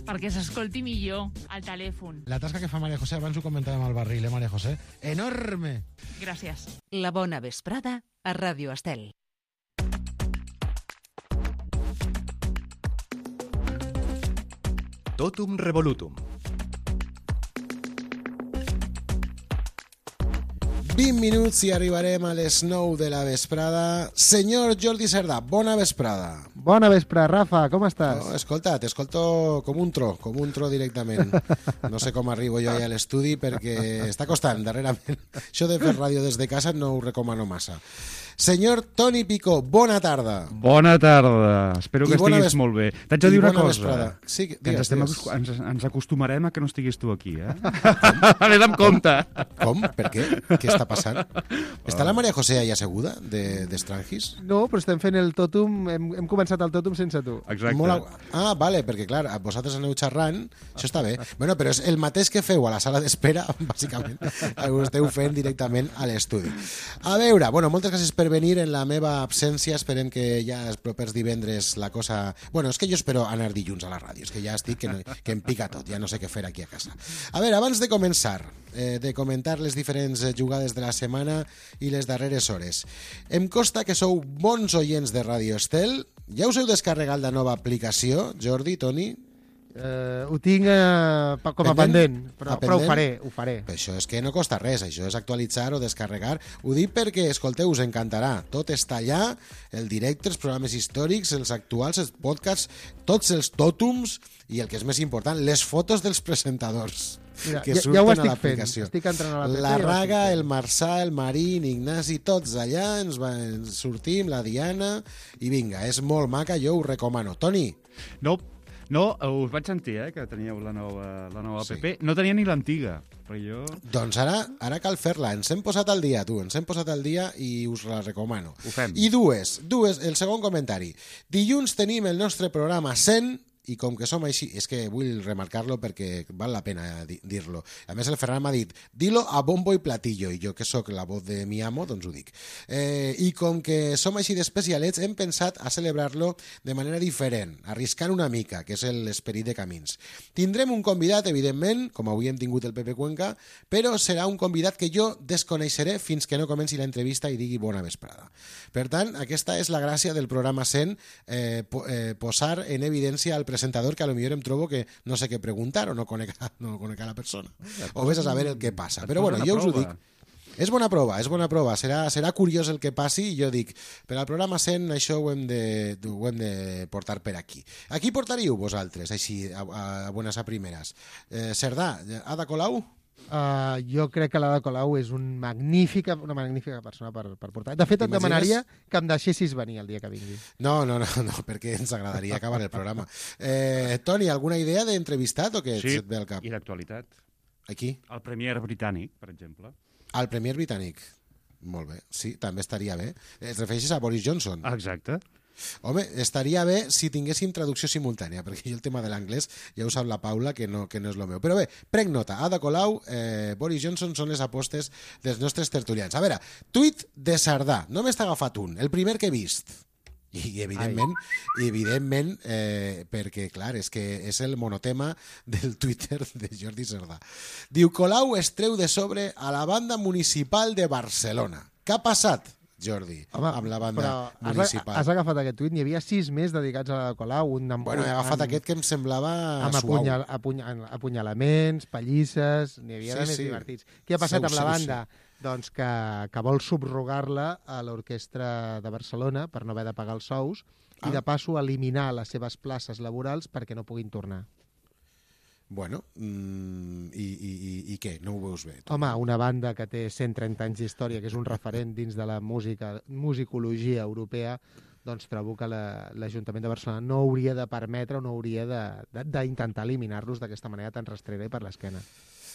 perquè s'escolti millor al telèfon. La tasca que fa Maria José, abans ho comentàvem al barril, eh, Maria José? Enorme! Gràcies. La bona vesprada a Ràdio Estel. Totum Revolutum. vint minuts i arribarem a les nou de la vesprada. Senyor Jordi Cerdà, bona vesprada. Bona vesprada, Rafa, com estàs? Oh, escolta, t'escolto com un tro, com un tro directament. No sé com arribo jo allà a l'estudi perquè està costant darrerament. Això de fer ràdio des de casa no ho recomano massa. Senyor Toni Picó, bona tarda. Bona tarda, espero que estiguis ves... molt bé. T'haig de dir una cosa, sí, que digues, ens, estem, digues. ens, ens acostumarem a que no estiguis tu aquí, eh? Anem amb compte. Com? Per què? Què està passant? Està la Maria José allà asseguda, d'Estrangis? De, no, però estem fent el tòtum, hem, hem començat el tòtum sense tu. Exacte. Molt... Ah, vale, perquè clar, vosaltres aneu xerrant, això està bé. Bueno, però és el mateix que feu a la sala d'espera, bàsicament, ho esteu fent directament a l'estudi. A veure, bueno, moltes gràcies per venir en la meva absència, esperem que ja els propers divendres la cosa... Bueno, és que jo espero anar dilluns a la ràdio, és que ja estic, que, no, que em pica tot, ja no sé què fer aquí a casa. A veure, abans de començar, eh, de comentar les diferents jugades de la setmana i les darreres hores, em consta que sou bons oients de Ràdio Estel. Ja us heu descarregat la nova aplicació, Jordi, Toni? Uh, ho tinc uh, com a pendent, però, però ho faré, ho faré. Però això és que no costa res, això és actualitzar o descarregar. Ho dic perquè, escolteu, us encantarà. Tot està allà, el directe, els programes històrics, els actuals, els podcasts, tots els tòtums i el que és més important, les fotos dels presentadors. Mira, que ja, surten ja ho a estic l'aplicació. Fent. Estic entrant a la, la Raga, el Marçà, el Marín, Ignasi, tots allà, ens, va, ens sortim, la Diana, i vinga, és molt maca, jo ho recomano. Toni? No, no, us vaig sentir, eh, que teníeu la nova, la nova sí. app. No tenia ni l'antiga, però jo... Doncs ara, ara cal fer-la. Ens hem posat al dia, tu, ens hem posat al dia i us la recomano. Ho fem. I dues, dues, el segon comentari. Dilluns tenim el nostre programa cent, i com que som així, és que vull remarcar-lo perquè val la pena dir-lo. A més, el Ferran m'ha dit, dilo a bombo i platillo, i jo que sóc la voz de mi amo, doncs ho dic. Eh, I com que som així d'especialets, hem pensat a celebrar-lo de manera diferent, arriscant una mica, que és l'esperit de Camins. Tindrem un convidat, evidentment, com avui hem tingut el Pepe Cuenca, però serà un convidat que jo desconeixeré fins que no comenci l'entrevista i digui bona vesprada. Per tant, aquesta és la gràcia del programa cent, eh, po eh, posar en evidència al presentador que a lo millor em trobo que no sé què preguntar o no conec, no conec a la persona. O ves a saber el que passa. Però bueno, jo us ho dic. És bona prova, és bona prova. Serà, serà curiós el que passi i jo dic, per al programa cent això ho hem de, ho hem de portar per aquí. Aquí portaríeu vosaltres, així, a, a, a bones a primeres. Eh, Cerdà, Ada Colau? Uh, jo crec que l'Ada Colau és un magnífica, una magnífica persona per, per portar. De fet, et demanaria que em deixessis venir el dia que vingui. No, no, no, no perquè ens agradaria acabar el programa. Eh, Toni, alguna idea d'entrevistat o què sí, et ve al cap? I d'actualitat. Aquí? El Premier britànic, per exemple. El Premier britànic. Molt bé, sí, també estaria bé. Et refereixes a Boris Johnson? Exacte. Home, estaria bé si tinguéssim traducció simultània, perquè jo el tema de l'anglès ja ho sap la Paula, que no, que no és el meu. Però bé, prenc nota. Ada Colau, eh, Boris Johnson són les apostes dels nostres tertulians. A veure, tuit de Cerdà. No m'està agafat un, el primer que he vist. I evidentment, i evidentment eh, perquè, clar, és que és el monotema del Twitter de Jordi Cerdà. Diu, Colau es treu de sobre a la banda municipal de Barcelona. Què ha passat, Jordi, home, amb la banda has, municipal? Has agafat aquest tuit, n'hi havia sis més dedicats a la Colau. Un amb, bueno, he agafat amb, aquest que em semblava amb suau. Apunyal, apunyal, apunyalaments, pallisses, n'hi havia sí, de més sí. divertits. Què ha passat seu, amb la banda? Seu. Doncs que, que vol subrogar-la a l'Orquestra de Barcelona per no haver de pagar els sous ah. i de passo eliminar les seves places laborals perquè no puguin tornar. Bueno, mm, i, i, i, i què? No ho veus bé? Tu? Home, una banda que té cent trenta anys d'història, que és un referent dins de la música, musicologia europea, doncs trobo que l'Ajuntament de Barcelona no hauria de permetre o no hauria d'intentar eliminar-los d'aquesta manera tan rastrera i per l'esquena.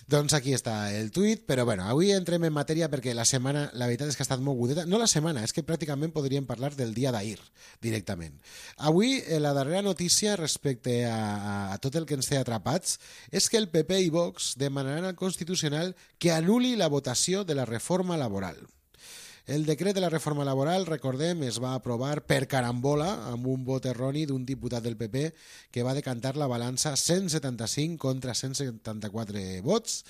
Doncs aquí està el tuit, però bueno, avui entrem en matèria perquè la setmana, la veritat és que ha estat molt agudeta. No la setmana, és que pràcticament podríem parlar del dia d'ahir, directament. Avui, la darrera notícia respecte a, a, a tot el que ens té atrapats és que el P P i Vox demanaran al Constitucional que anul·li la votació de la reforma laboral. El decret de la reforma laboral, recordem, es va aprovar per carambola amb un vot erroni d'un diputat del P P que va decantar la balança cent setanta-cinc contra cent setanta-quatre vots,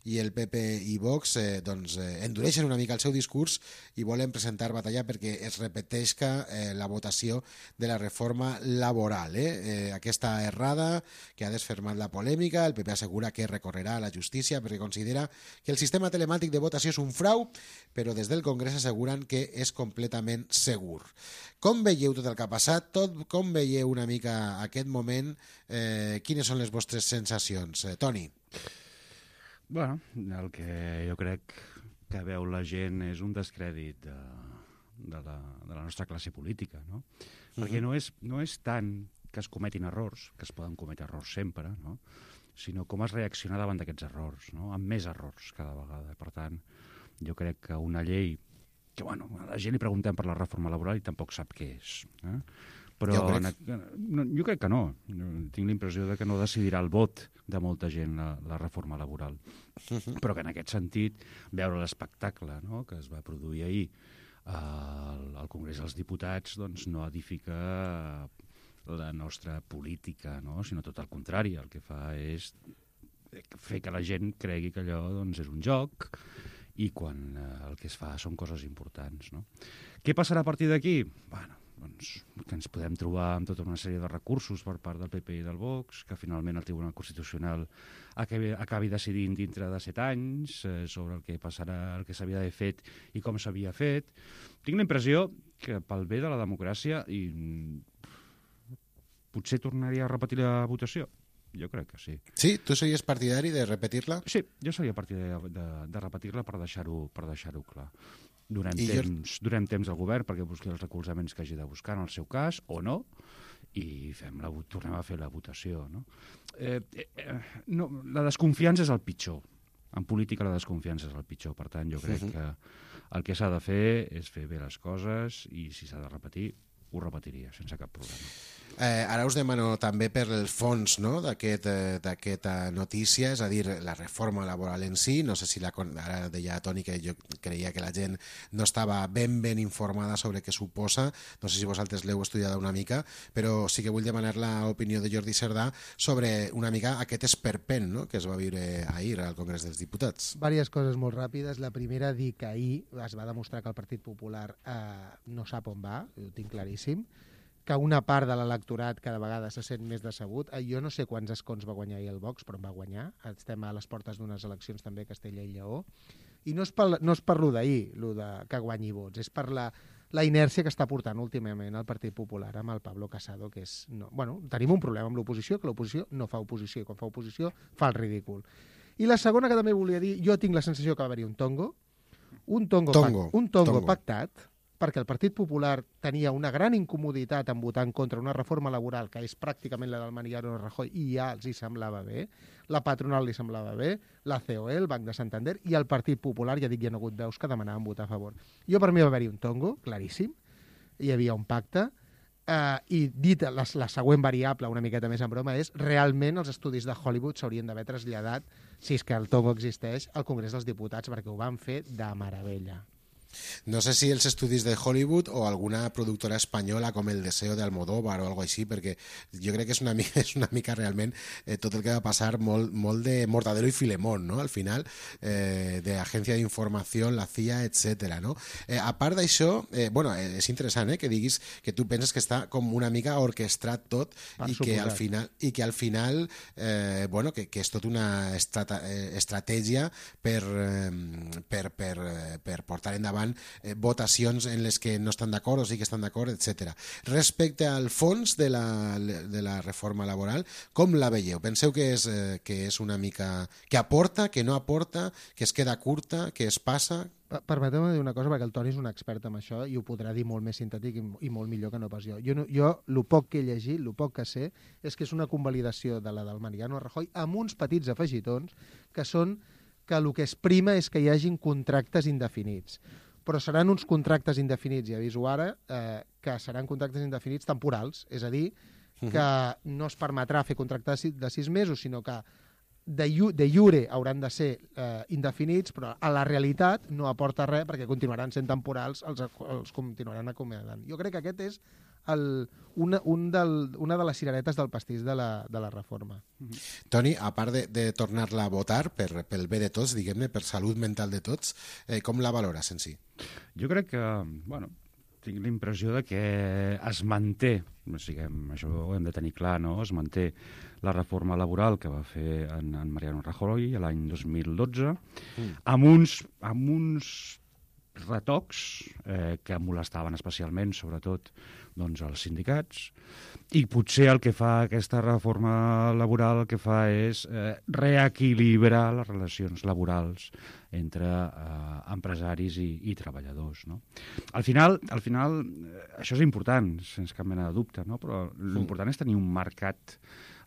i el P P i Vox eh, doncs, eh, endureixen una mica el seu discurs i volen presentar batalla perquè es repeteixca eh, la votació de la reforma laboral. Eh? Eh, aquesta errada que ha desfermat la polèmica, el P P assegura que recorrerà a la justícia perquè considera que el sistema telemàtic de votació és un frau, però des del Congrés asseguren que és completament segur. Com veieu tot el que ha passat? Tot, com veieu una mica aquest moment? Eh, quines són les vostres sensacions? Eh, Toni? Bueno, el que jo crec que veu la gent és un descrèdit de, de, la, de la nostra classe política, no? Uh-huh. Perquè no és, no és tant que es cometin errors, que es poden cometre errors sempre, no? Sinó com es reacciona davant d'aquests errors, no? Amb més errors cada vegada. Per tant, jo crec que una llei que, bueno, a la gent li preguntem per la reforma laboral i tampoc sap què és. Eh? Però jo crec... No, jo crec que no. Tinc la impressió de que no decidirà el vot de molta gent la, la reforma laboral. Uh-huh. Però que en aquest sentit, veure l'espectacle, no?, que es va produir ahir al, al Congrés dels Diputats, doncs no edifica la nostra política, no?, sinó tot el contrari. El que fa és fer que la gent cregui que allò doncs, és un joc, i quan eh, el que es fa són coses importants, no? Què passarà a partir d'aquí? Bueno, doncs, que ens podem trobar amb tota una sèrie de recursos per part del P P i del Vox, que finalment el Tribunal Constitucional acabi, acabi decidint dintre de set anys eh, sobre el que passarà, el que s'havia d'haver fet i com s'havia fet. Tinc la impressió que pel bé de la democràcia i potser tornaria a repetir la votació. Jo crec que sí. Sí? Tu series partidari de repetir-la? Sí, jo seria partidari de, de, de repetir-la per deixar-ho per deixar-ho clar. Donem temps, jo... donem temps al govern perquè busqui els recolzaments que hagi de buscar en el seu cas, o no, i fem la, tornem a fer la votació. No? Eh, eh, no, la desconfiança és el pitjor. En política la desconfiança és el pitjor. Per tant, jo crec uh-huh. que el que s'ha de fer és fer bé les coses i si s'ha de repetir, ho repetiria sense cap problema. Eh, ara us demano també per el fons, no?, d'aquesta aquest, notícia, és a dir, la reforma laboral en si. No sé si la, ara deia Toni que jo creia que la gent no estava ben ben informada sobre què suposa. No sé si vosaltres l'heu estudiat una mica, però sí que vull demanar l'opinió de Jordi Cerdà sobre una mica aquest esperpent, no?, que es va viure ahir al Congrés dels Diputats. Vàries coses molt ràpides. La primera, dir que ahir es va demostrar que el Partit Popular eh, no sap on va, ho tinc claríssim, que una part de l'electorat cada vegada se sent més decebut. Jo no sé quants escons va guanyar ahir el Vox, però en va guanyar. Estem a les portes d'unes eleccions també a Castella i Lleó. I no és per, no és per lo d'ahir, lo de que guanyi vots, és per la, la inèrcia que està portant últimament el Partit Popular amb el Pablo Casado, que és... No, bueno, tenim un problema amb l'oposició, que l'oposició no fa oposició, i quan fa oposició fa el ridícul. I la segona que també volia dir, jo tinc la sensació que va haver-hi un tongo, un tongo, tongo, pac, un tongo, tongo. pactat, perquè el Partit Popular tenia una gran incomoditat en votar en contra una reforma laboral que és pràcticament la del Mariano Rajoy i ja els hi semblava bé, la patronal li semblava bé, la C O E, el Banc de Santander i el Partit Popular, ja dic, hi ha hagut veus que demanaven votar a favor. Jo per mi va haver-hi un tongo, claríssim, hi havia un pacte, eh, i dit la, la següent variable, una miqueta més en broma, és realment els estudis de Hollywood s'haurien d'haver traslladat, si és que el tongo existeix, al Congrés dels Diputats, perquè ho van fer de meravella. No sé si els estudis de Hollywood o alguna productora espanyola com El Deseo de Almodóvar o algo així, perquè jo crec que és una mica, és una mica realment eh, tot el que va passar molt, molt de Mortadelo i Filemón, no?, al final, eh, de Agència d'Informació, la C I A, etcètera, no? Eh, a part d'això, eh, bueno, eh, és interessant eh, que diguis que tu penses que està com una mica orquestrat tot i que, al final, i que al final eh, bueno, que, que és tot una estrata, eh, estratègia per, eh, per, per, per portar endavant Eh, votacions en les que no estan d'acord o sí que estan d'acord, etcètera. Respecte al fons de la, de la reforma laboral, com la veieu? Penseu que és, eh, que és una mica... que aporta, que no aporta, que es queda curta, que es passa... Permeteu-me dir una cosa, perquè el Toni és un expert en això i ho podrà dir molt més sintètic i, i molt millor que no pas jo. Jo, no, jo el poc que he llegit, el poc que sé, és que és una convalidació de la del Mariano Rajoy amb uns petits afegitons que són que el que es prima és que hi hagin contractes indefinits. Però seran uns contractes indefinits, ja aviso ara, eh, que seran contractes indefinits temporals, és a dir, que no es permetrà fer contractes de sis mesos, sinó que de, de iure hauran de ser eh, indefinits, però a la realitat no aporta res perquè continuaran sent temporals, els, els continuaran acomiadant. Jo crec que aquest és el, una, un del, una de les cireretes del pastís de la, de la reforma. Toni, a part de, de tornar-la a votar per, pel bé de tots, diguem-ne, per salut mental de tots, eh, com la valores en si? Jo crec que, bueno, tinc la impressió de que es manté, o sigui, això ho hem de tenir clar, no? Es manté la reforma laboral que va fer en, en Mariano Rajoy l'any dos mil dotze, mm. amb, uns, amb uns retocs eh, que molestaven especialment, sobretot, doncs, els sindicats, i potser el que fa aquesta reforma laboral el que fa és eh, reequilibrar les relacions laborals entre eh, empresaris i, i treballadors, no? Al final, al final eh, això és important, sense cap mena de dubte, no? Però l'important és tenir un mercat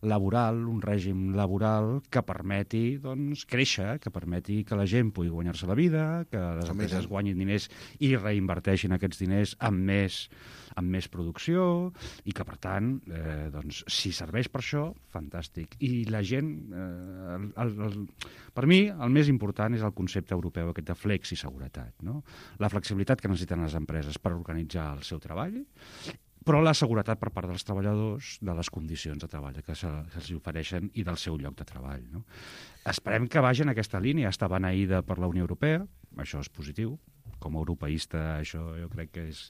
laboral, un règim laboral que permeti, doncs, créixer, que permeti que la gent pugui guanyar-se la vida, que les empreses guanyin diners i reinverteixin aquests diners amb més, amb més producció, i que, per tant, eh, doncs, si serveix per això, fantàstic. I la gent, eh, el, el, el, per mi, el més important és el concepte europeu aquest de flexiseguretat, no? La flexibilitat que necessiten les empreses per organitzar el seu treball, però la seguretat per part dels treballadors de les condicions de treball que se'ls ofereixen i del seu lloc de treball, no? Esperem que vagi en aquesta línia. Està beneïda per la Unió Europea, això és positiu. Com a europeista això jo crec que és,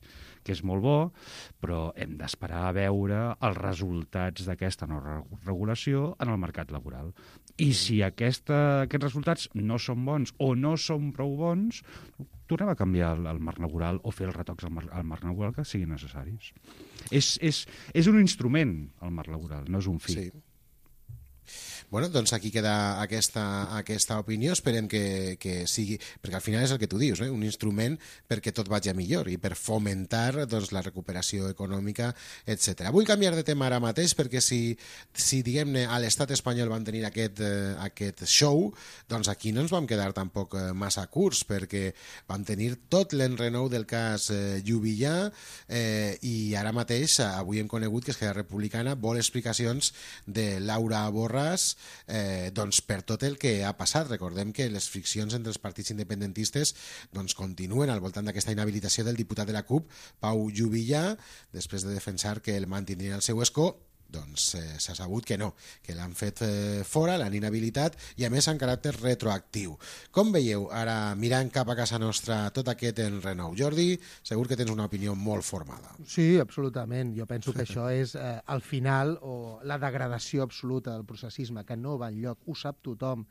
que és molt bo, però hem d'esperar a veure els resultats d'aquesta nova regulació en el mercat laboral. I si aquesta, aquests resultats no són bons o no són prou bons, tornem a canviar el, el marc laboral o fer els retocs al marc, al marc laboral que siguin necessaris. És, és, és un instrument, el marc laboral, no és un fi. Sí. Bueno, doncs aquí queda aquesta, aquesta opinió, esperem que, que sigui, perquè al final és el que tu dius, eh? Un instrument perquè tot vagi a millor i per fomentar, doncs, la recuperació econòmica, etcètera. Vull canviar de tema ara mateix perquè si, si diguem-ne, a l'estat espanyol van tenir aquest, eh, aquest show, doncs aquí no ens vam quedar tampoc eh, massa curts perquè vam tenir tot l'enrenou del cas eh, Juvillà eh, i ara mateix, avui hem conegut que Esquerra Republicana vol explicacions de Laura Borràs Eh, doncs per tot el que ha passat. Recordem que les friccions entre els partits independentistes doncs continuen al voltant d'aquesta inhabilitació del diputat de la CUP, Pau Juvillà, després de defensar que el mantindrien al seu escó. Doncs eh, s'ha sabut que no, que l'han fet eh, fora, l'han inhabilitat i a més en caràcter retroactiu. Com veieu, ara mirant cap a casa nostra tot aquest enrenou? Jordi, segur que tens una opinió molt formada. Sí, absolutament. Jo penso que això és eh, al final o la degradació absoluta del processisme, que no va enlloc, ho sap tothom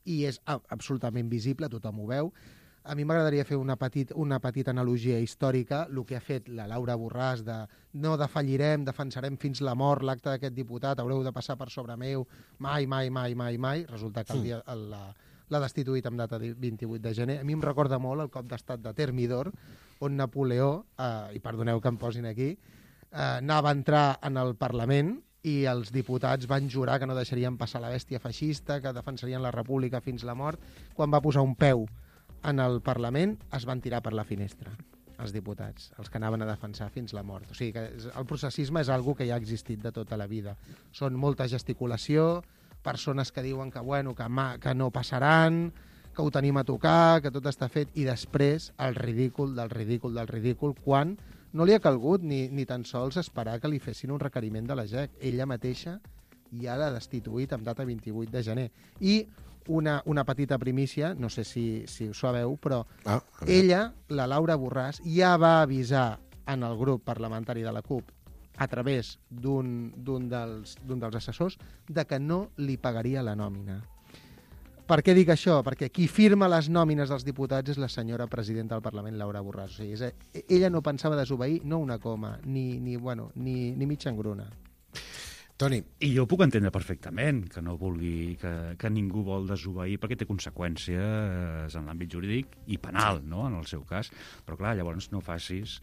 i és a, absolutament visible, tothom ho veu. A mi m'agradaria fer una, petit, una petita analogia històrica, el que ha fet la Laura Borràs de no defallirem, defensarem fins la mort l'acte d'aquest diputat, haureu de passar per sobre meu, mai, mai, mai, mai, mai. Resulta que el dia, el, la, l'ha destituït amb data vint-i-vuit de gener. A mi em recorda molt el cop d'estat de Thermidor, on Napoleó, eh, i perdoneu que em posin aquí, eh, anava a entrar en el Parlament i els diputats van jurar que no deixarien passar la bèstia feixista, que defensarien la república fins la mort. Quan va posar un peu en el Parlament es van tirar per la finestra els diputats, els que anaven a defensar fins la mort. O sigui que el processisme és algo que ja ha existit de tota la vida. Són molta gesticulació, persones que diuen que, bueno, que, ma, que no passaran, que ho tenim a tocar, que tot està fet, i després el ridícul del ridícul del ridícul, quan no li ha calgut ni, ni tan sols esperar que li fessin un requeriment de la G E C. Ella mateixa ja l'ha destituït amb data vint-i-vuit de gener. I Una, una petita primícia, no sé si, si ho sabeu, però ah, ella, la Laura Borràs, ja va avisar en el grup parlamentari de la CUP a través d'un d'un dels, d'un dels assessors de que no li pagaria la nòmina. Per què dic això? Perquè qui firma les nòmines dels diputats és la senyora presidenta del Parlament, Laura Borràs. O sigui, és, ella no pensava desobeir no una coma, ni, ni, bueno, ni, ni mitja engruna. Toni. I jo puc entendre perfectament que no vulgui, que, que ningú vol desobeir perquè té conseqüències en l'àmbit jurídic i penal, no?, en el seu cas. Però clar, llavors no facis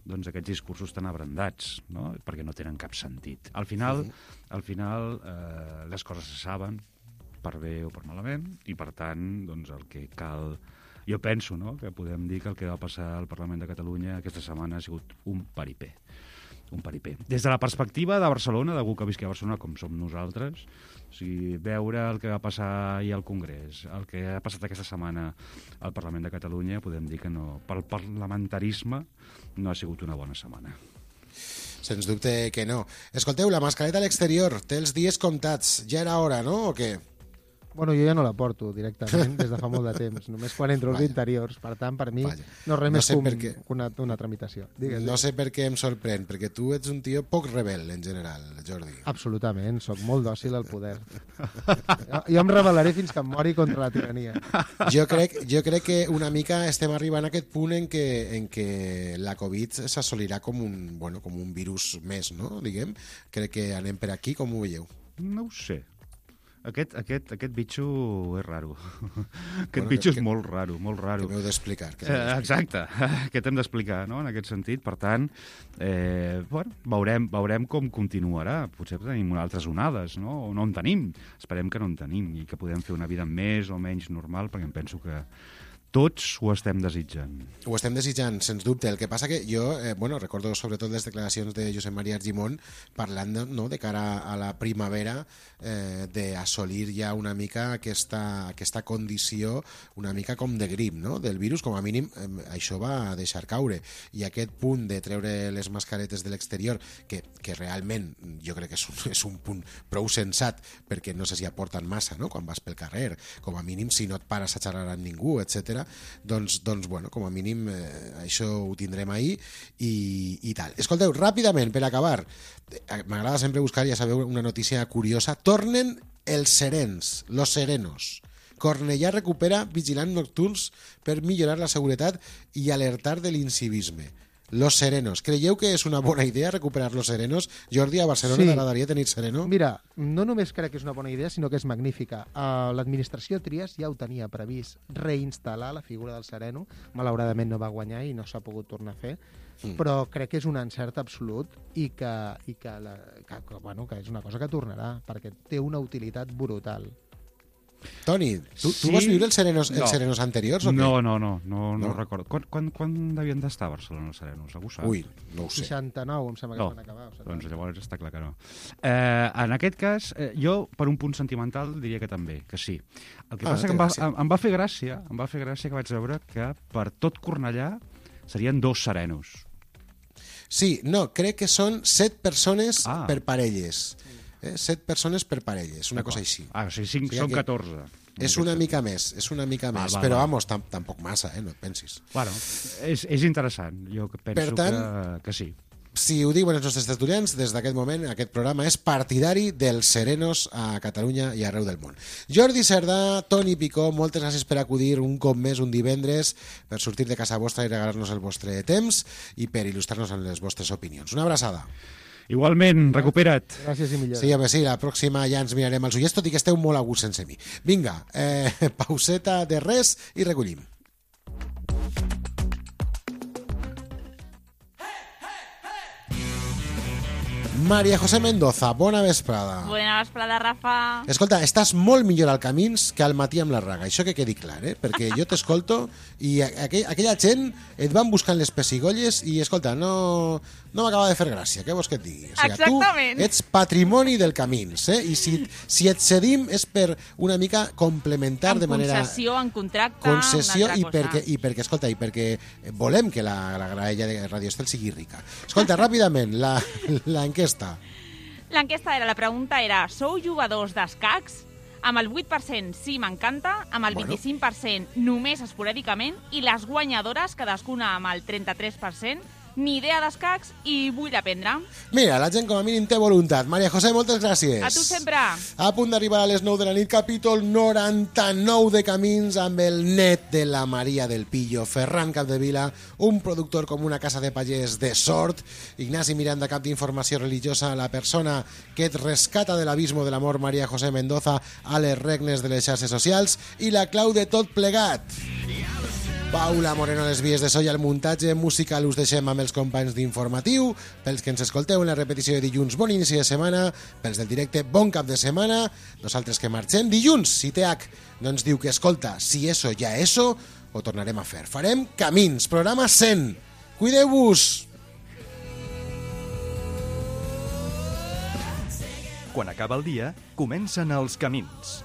doncs, aquests discursos tan abrandats, no?, perquè no tenen cap sentit. Al final, sí. al final eh, les coses se saben, per bé o per malament, i per tant, doncs, el que cal... Jo penso, no?, que podem dir que el que va passar al Parlament de Catalunya aquesta setmana ha sigut un paripé. un paripé. Des de la perspectiva de Barcelona, d'algú que visqui a Barcelona com som nosaltres, o sigui, veure el que va passar ahir al Congrés, el que ha passat aquesta setmana al Parlament de Catalunya, podem dir que no, pel parlamentarisme no ha sigut una bona setmana. Sens dubte que no. Escolteu, la mascareta a l'exterior té els dies comptats. Ja era hora, no? O què? Bueno, jo ja no la porto directament des de fa molt de temps, només quan entro als interiors. Per tant, per mi, Vaya. no res no més que què... una, una tramitació. Digues, no sé per què em sorprèn, perquè tu ets un tio poc rebel, en general, Jordi. Absolutament, sóc molt dòcil al poder. Jo em rebel·laré fins que em mori contra la tirania. Jo crec, jo crec que una mica estem arribant a aquest punt en què, en què la Covid s'assolirà com un, bueno, com un virus més, no? Diguem. Crec que anem per aquí, com ho veieu? No ho sé. Aquest, aquest, aquest bitxo és raro. Aquest bueno, bitxo que, és molt raro, molt raro. Que m'heu d'explicar. Eh, exacte, què t'hem d'explicar, no?, en aquest sentit. Per tant, eh, bueno, veurem, veurem com continuarà. Potser tenim altres onades, no? O no en tenim. Esperem que no en tenim i que podem fer una vida més o menys normal, perquè em penso que tots ho estem desitjant. Ho estem desitjant, sens dubte. El que passa que jo, eh, bueno, recordo sobretot les declaracions de Josep Maria Argimon parlant de, no, de cara a la primavera eh, d'assolir ja una mica aquesta, aquesta condició una mica com de grip, no?, del virus, com a mínim eh, això va deixar caure. I aquest punt de treure les mascaretes de l'exterior, que, que realment jo crec que és un, és un punt prou sensat, perquè no sé si aporten massa, no?, quan vas pel carrer, com a mínim si no et pares a xerrar amb ningú, etcètera. Doncs, doncs, bueno, com a mínim eh, això ho tindrem ahir i, i tal. Escolteu, ràpidament, per acabar, m'agrada sempre buscar, ja sabeu, una notícia curiosa. Tornen els serens, los serenos. Cornellà recupera vigilants nocturns per millorar la seguretat i alertar de l'incivisme. Los serenos. Creieu que és una bona idea recuperar los serenos? Jordi, a Barcelona t'agradaria tenir sereno? Mira, no només crec que és una bona idea, sinó que és magnífica. Uh, L'administració Trias ja ho tenia previst, reinstal·lar la figura del sereno. Malauradament no va guanyar i no s'ha pogut tornar a fer, mm. però crec que és un encert absolut i que, i que, la, que, que, bueno, que és una cosa que tornarà, perquè té una utilitat brutal. Toni, tu, sí? tu vas viure els serenos, no. els serenos anteriors o què? No, no, no, no, no, no ho recordo. Quan, quan, quan devien d'estar a Barcelona els serenos? Algú sap? Ui, no ho sé. seixanta-nou, em sembla que no. van acabar. Doncs llavors està clar que no. Eh, en aquest cas, eh, jo, per un punt sentimental, diria que també, que sí. El que ah, passa que em va, em, em va fer gràcia, em va fer gràcia que vaig veure que per tot Cornellà serien dos serenos. Sí, no, crec que són set persones ah. per parelles. Eh? Set persones per parelles, una cosa així. Ah, o sigui, cinc, o sigui són catorze. És una mica més, és una mica més, va, va, però va. vamos, tam tampoc massa, eh? No et pensis. Bueno, és, és interessant, jo penso per tant, que, que sí. Si ho diuen els nostres estudiants, des d'aquest moment aquest programa és partidari dels serenos a Catalunya i arreu del món. Jordi Cerdà, Toni Picó, moltes gràcies per acudir un cop més un divendres, per sortir de casa vostra i regalar-nos el vostre temps i per il·lustrar-nos en les vostres opinions. Una abraçada. Igualment, recupera't. Gràcies i millor. Sí, home, sí, la pròxima ja ens mirarem els ullets, tot i que esteu molt a gust sense mi. Vinga, eh, pauseta de res i recollim. María José Mendoza, bona vesprada. Bona vesprada, Rafa. Escolta, estàs molt millor al Camins que al matí amb la Raga, això que quedi clar, eh? Perquè jo t'escolto i aquell, aquella gent et van buscant les pessigolles i, escolta, no, no m'acaba de fer gràcia, què vols que et digui? O sigui, exactament. Tu ets patrimoni del Camins, eh? I si, si et cedim és per una mica complementar en de manera... En concessió, en contracte, concessió, una altra i cosa. perquè, i perquè, escolta, i perquè volem que la, la graella de Radio Estel sigui rica. Escolta, ràpidament, la, la enquesta. L'enquesta era, la pregunta era, sou jugadors d'escacs? Amb el vuit per cent sí, m'encanta, amb el Bueno. vint-i-cinc per cent només esporàdicament, i les guanyadores, cadascuna amb el trenta-tres per cent, ni idea d'escacs i vull aprendre. Mira, la gent com a mínim té voluntat. Maria José, moltes gràcies. A tu sempre. A punt d'arribar a les nou de la nit, capítol noranta-nou de Camins, amb el net de la Maria del Pillo, Ferran Capdevila, un productor com una casa de pagès de sort, Ignasi Miranda, cap d'informació religiosa, la persona que et rescata de l'abismo de l'amor, Maria José Mendoza, a les regnes de les xarxes socials, i la clau de tot plegat, Paula Moreno a les vies de so i al muntatge musical. Us deixem amb els companys d'Informatiu. Pels que ens escolteu en la repetició de dilluns, bon inici de setmana. Pels del directe, bon cap de setmana. Nosaltres que marxem dilluns, si T H no ens diu que escolta, si eso ja eso, ho tornarem a fer. Farem Camins, programa cent. Cuideu-vos! Quan acaba el dia, comencen els camins.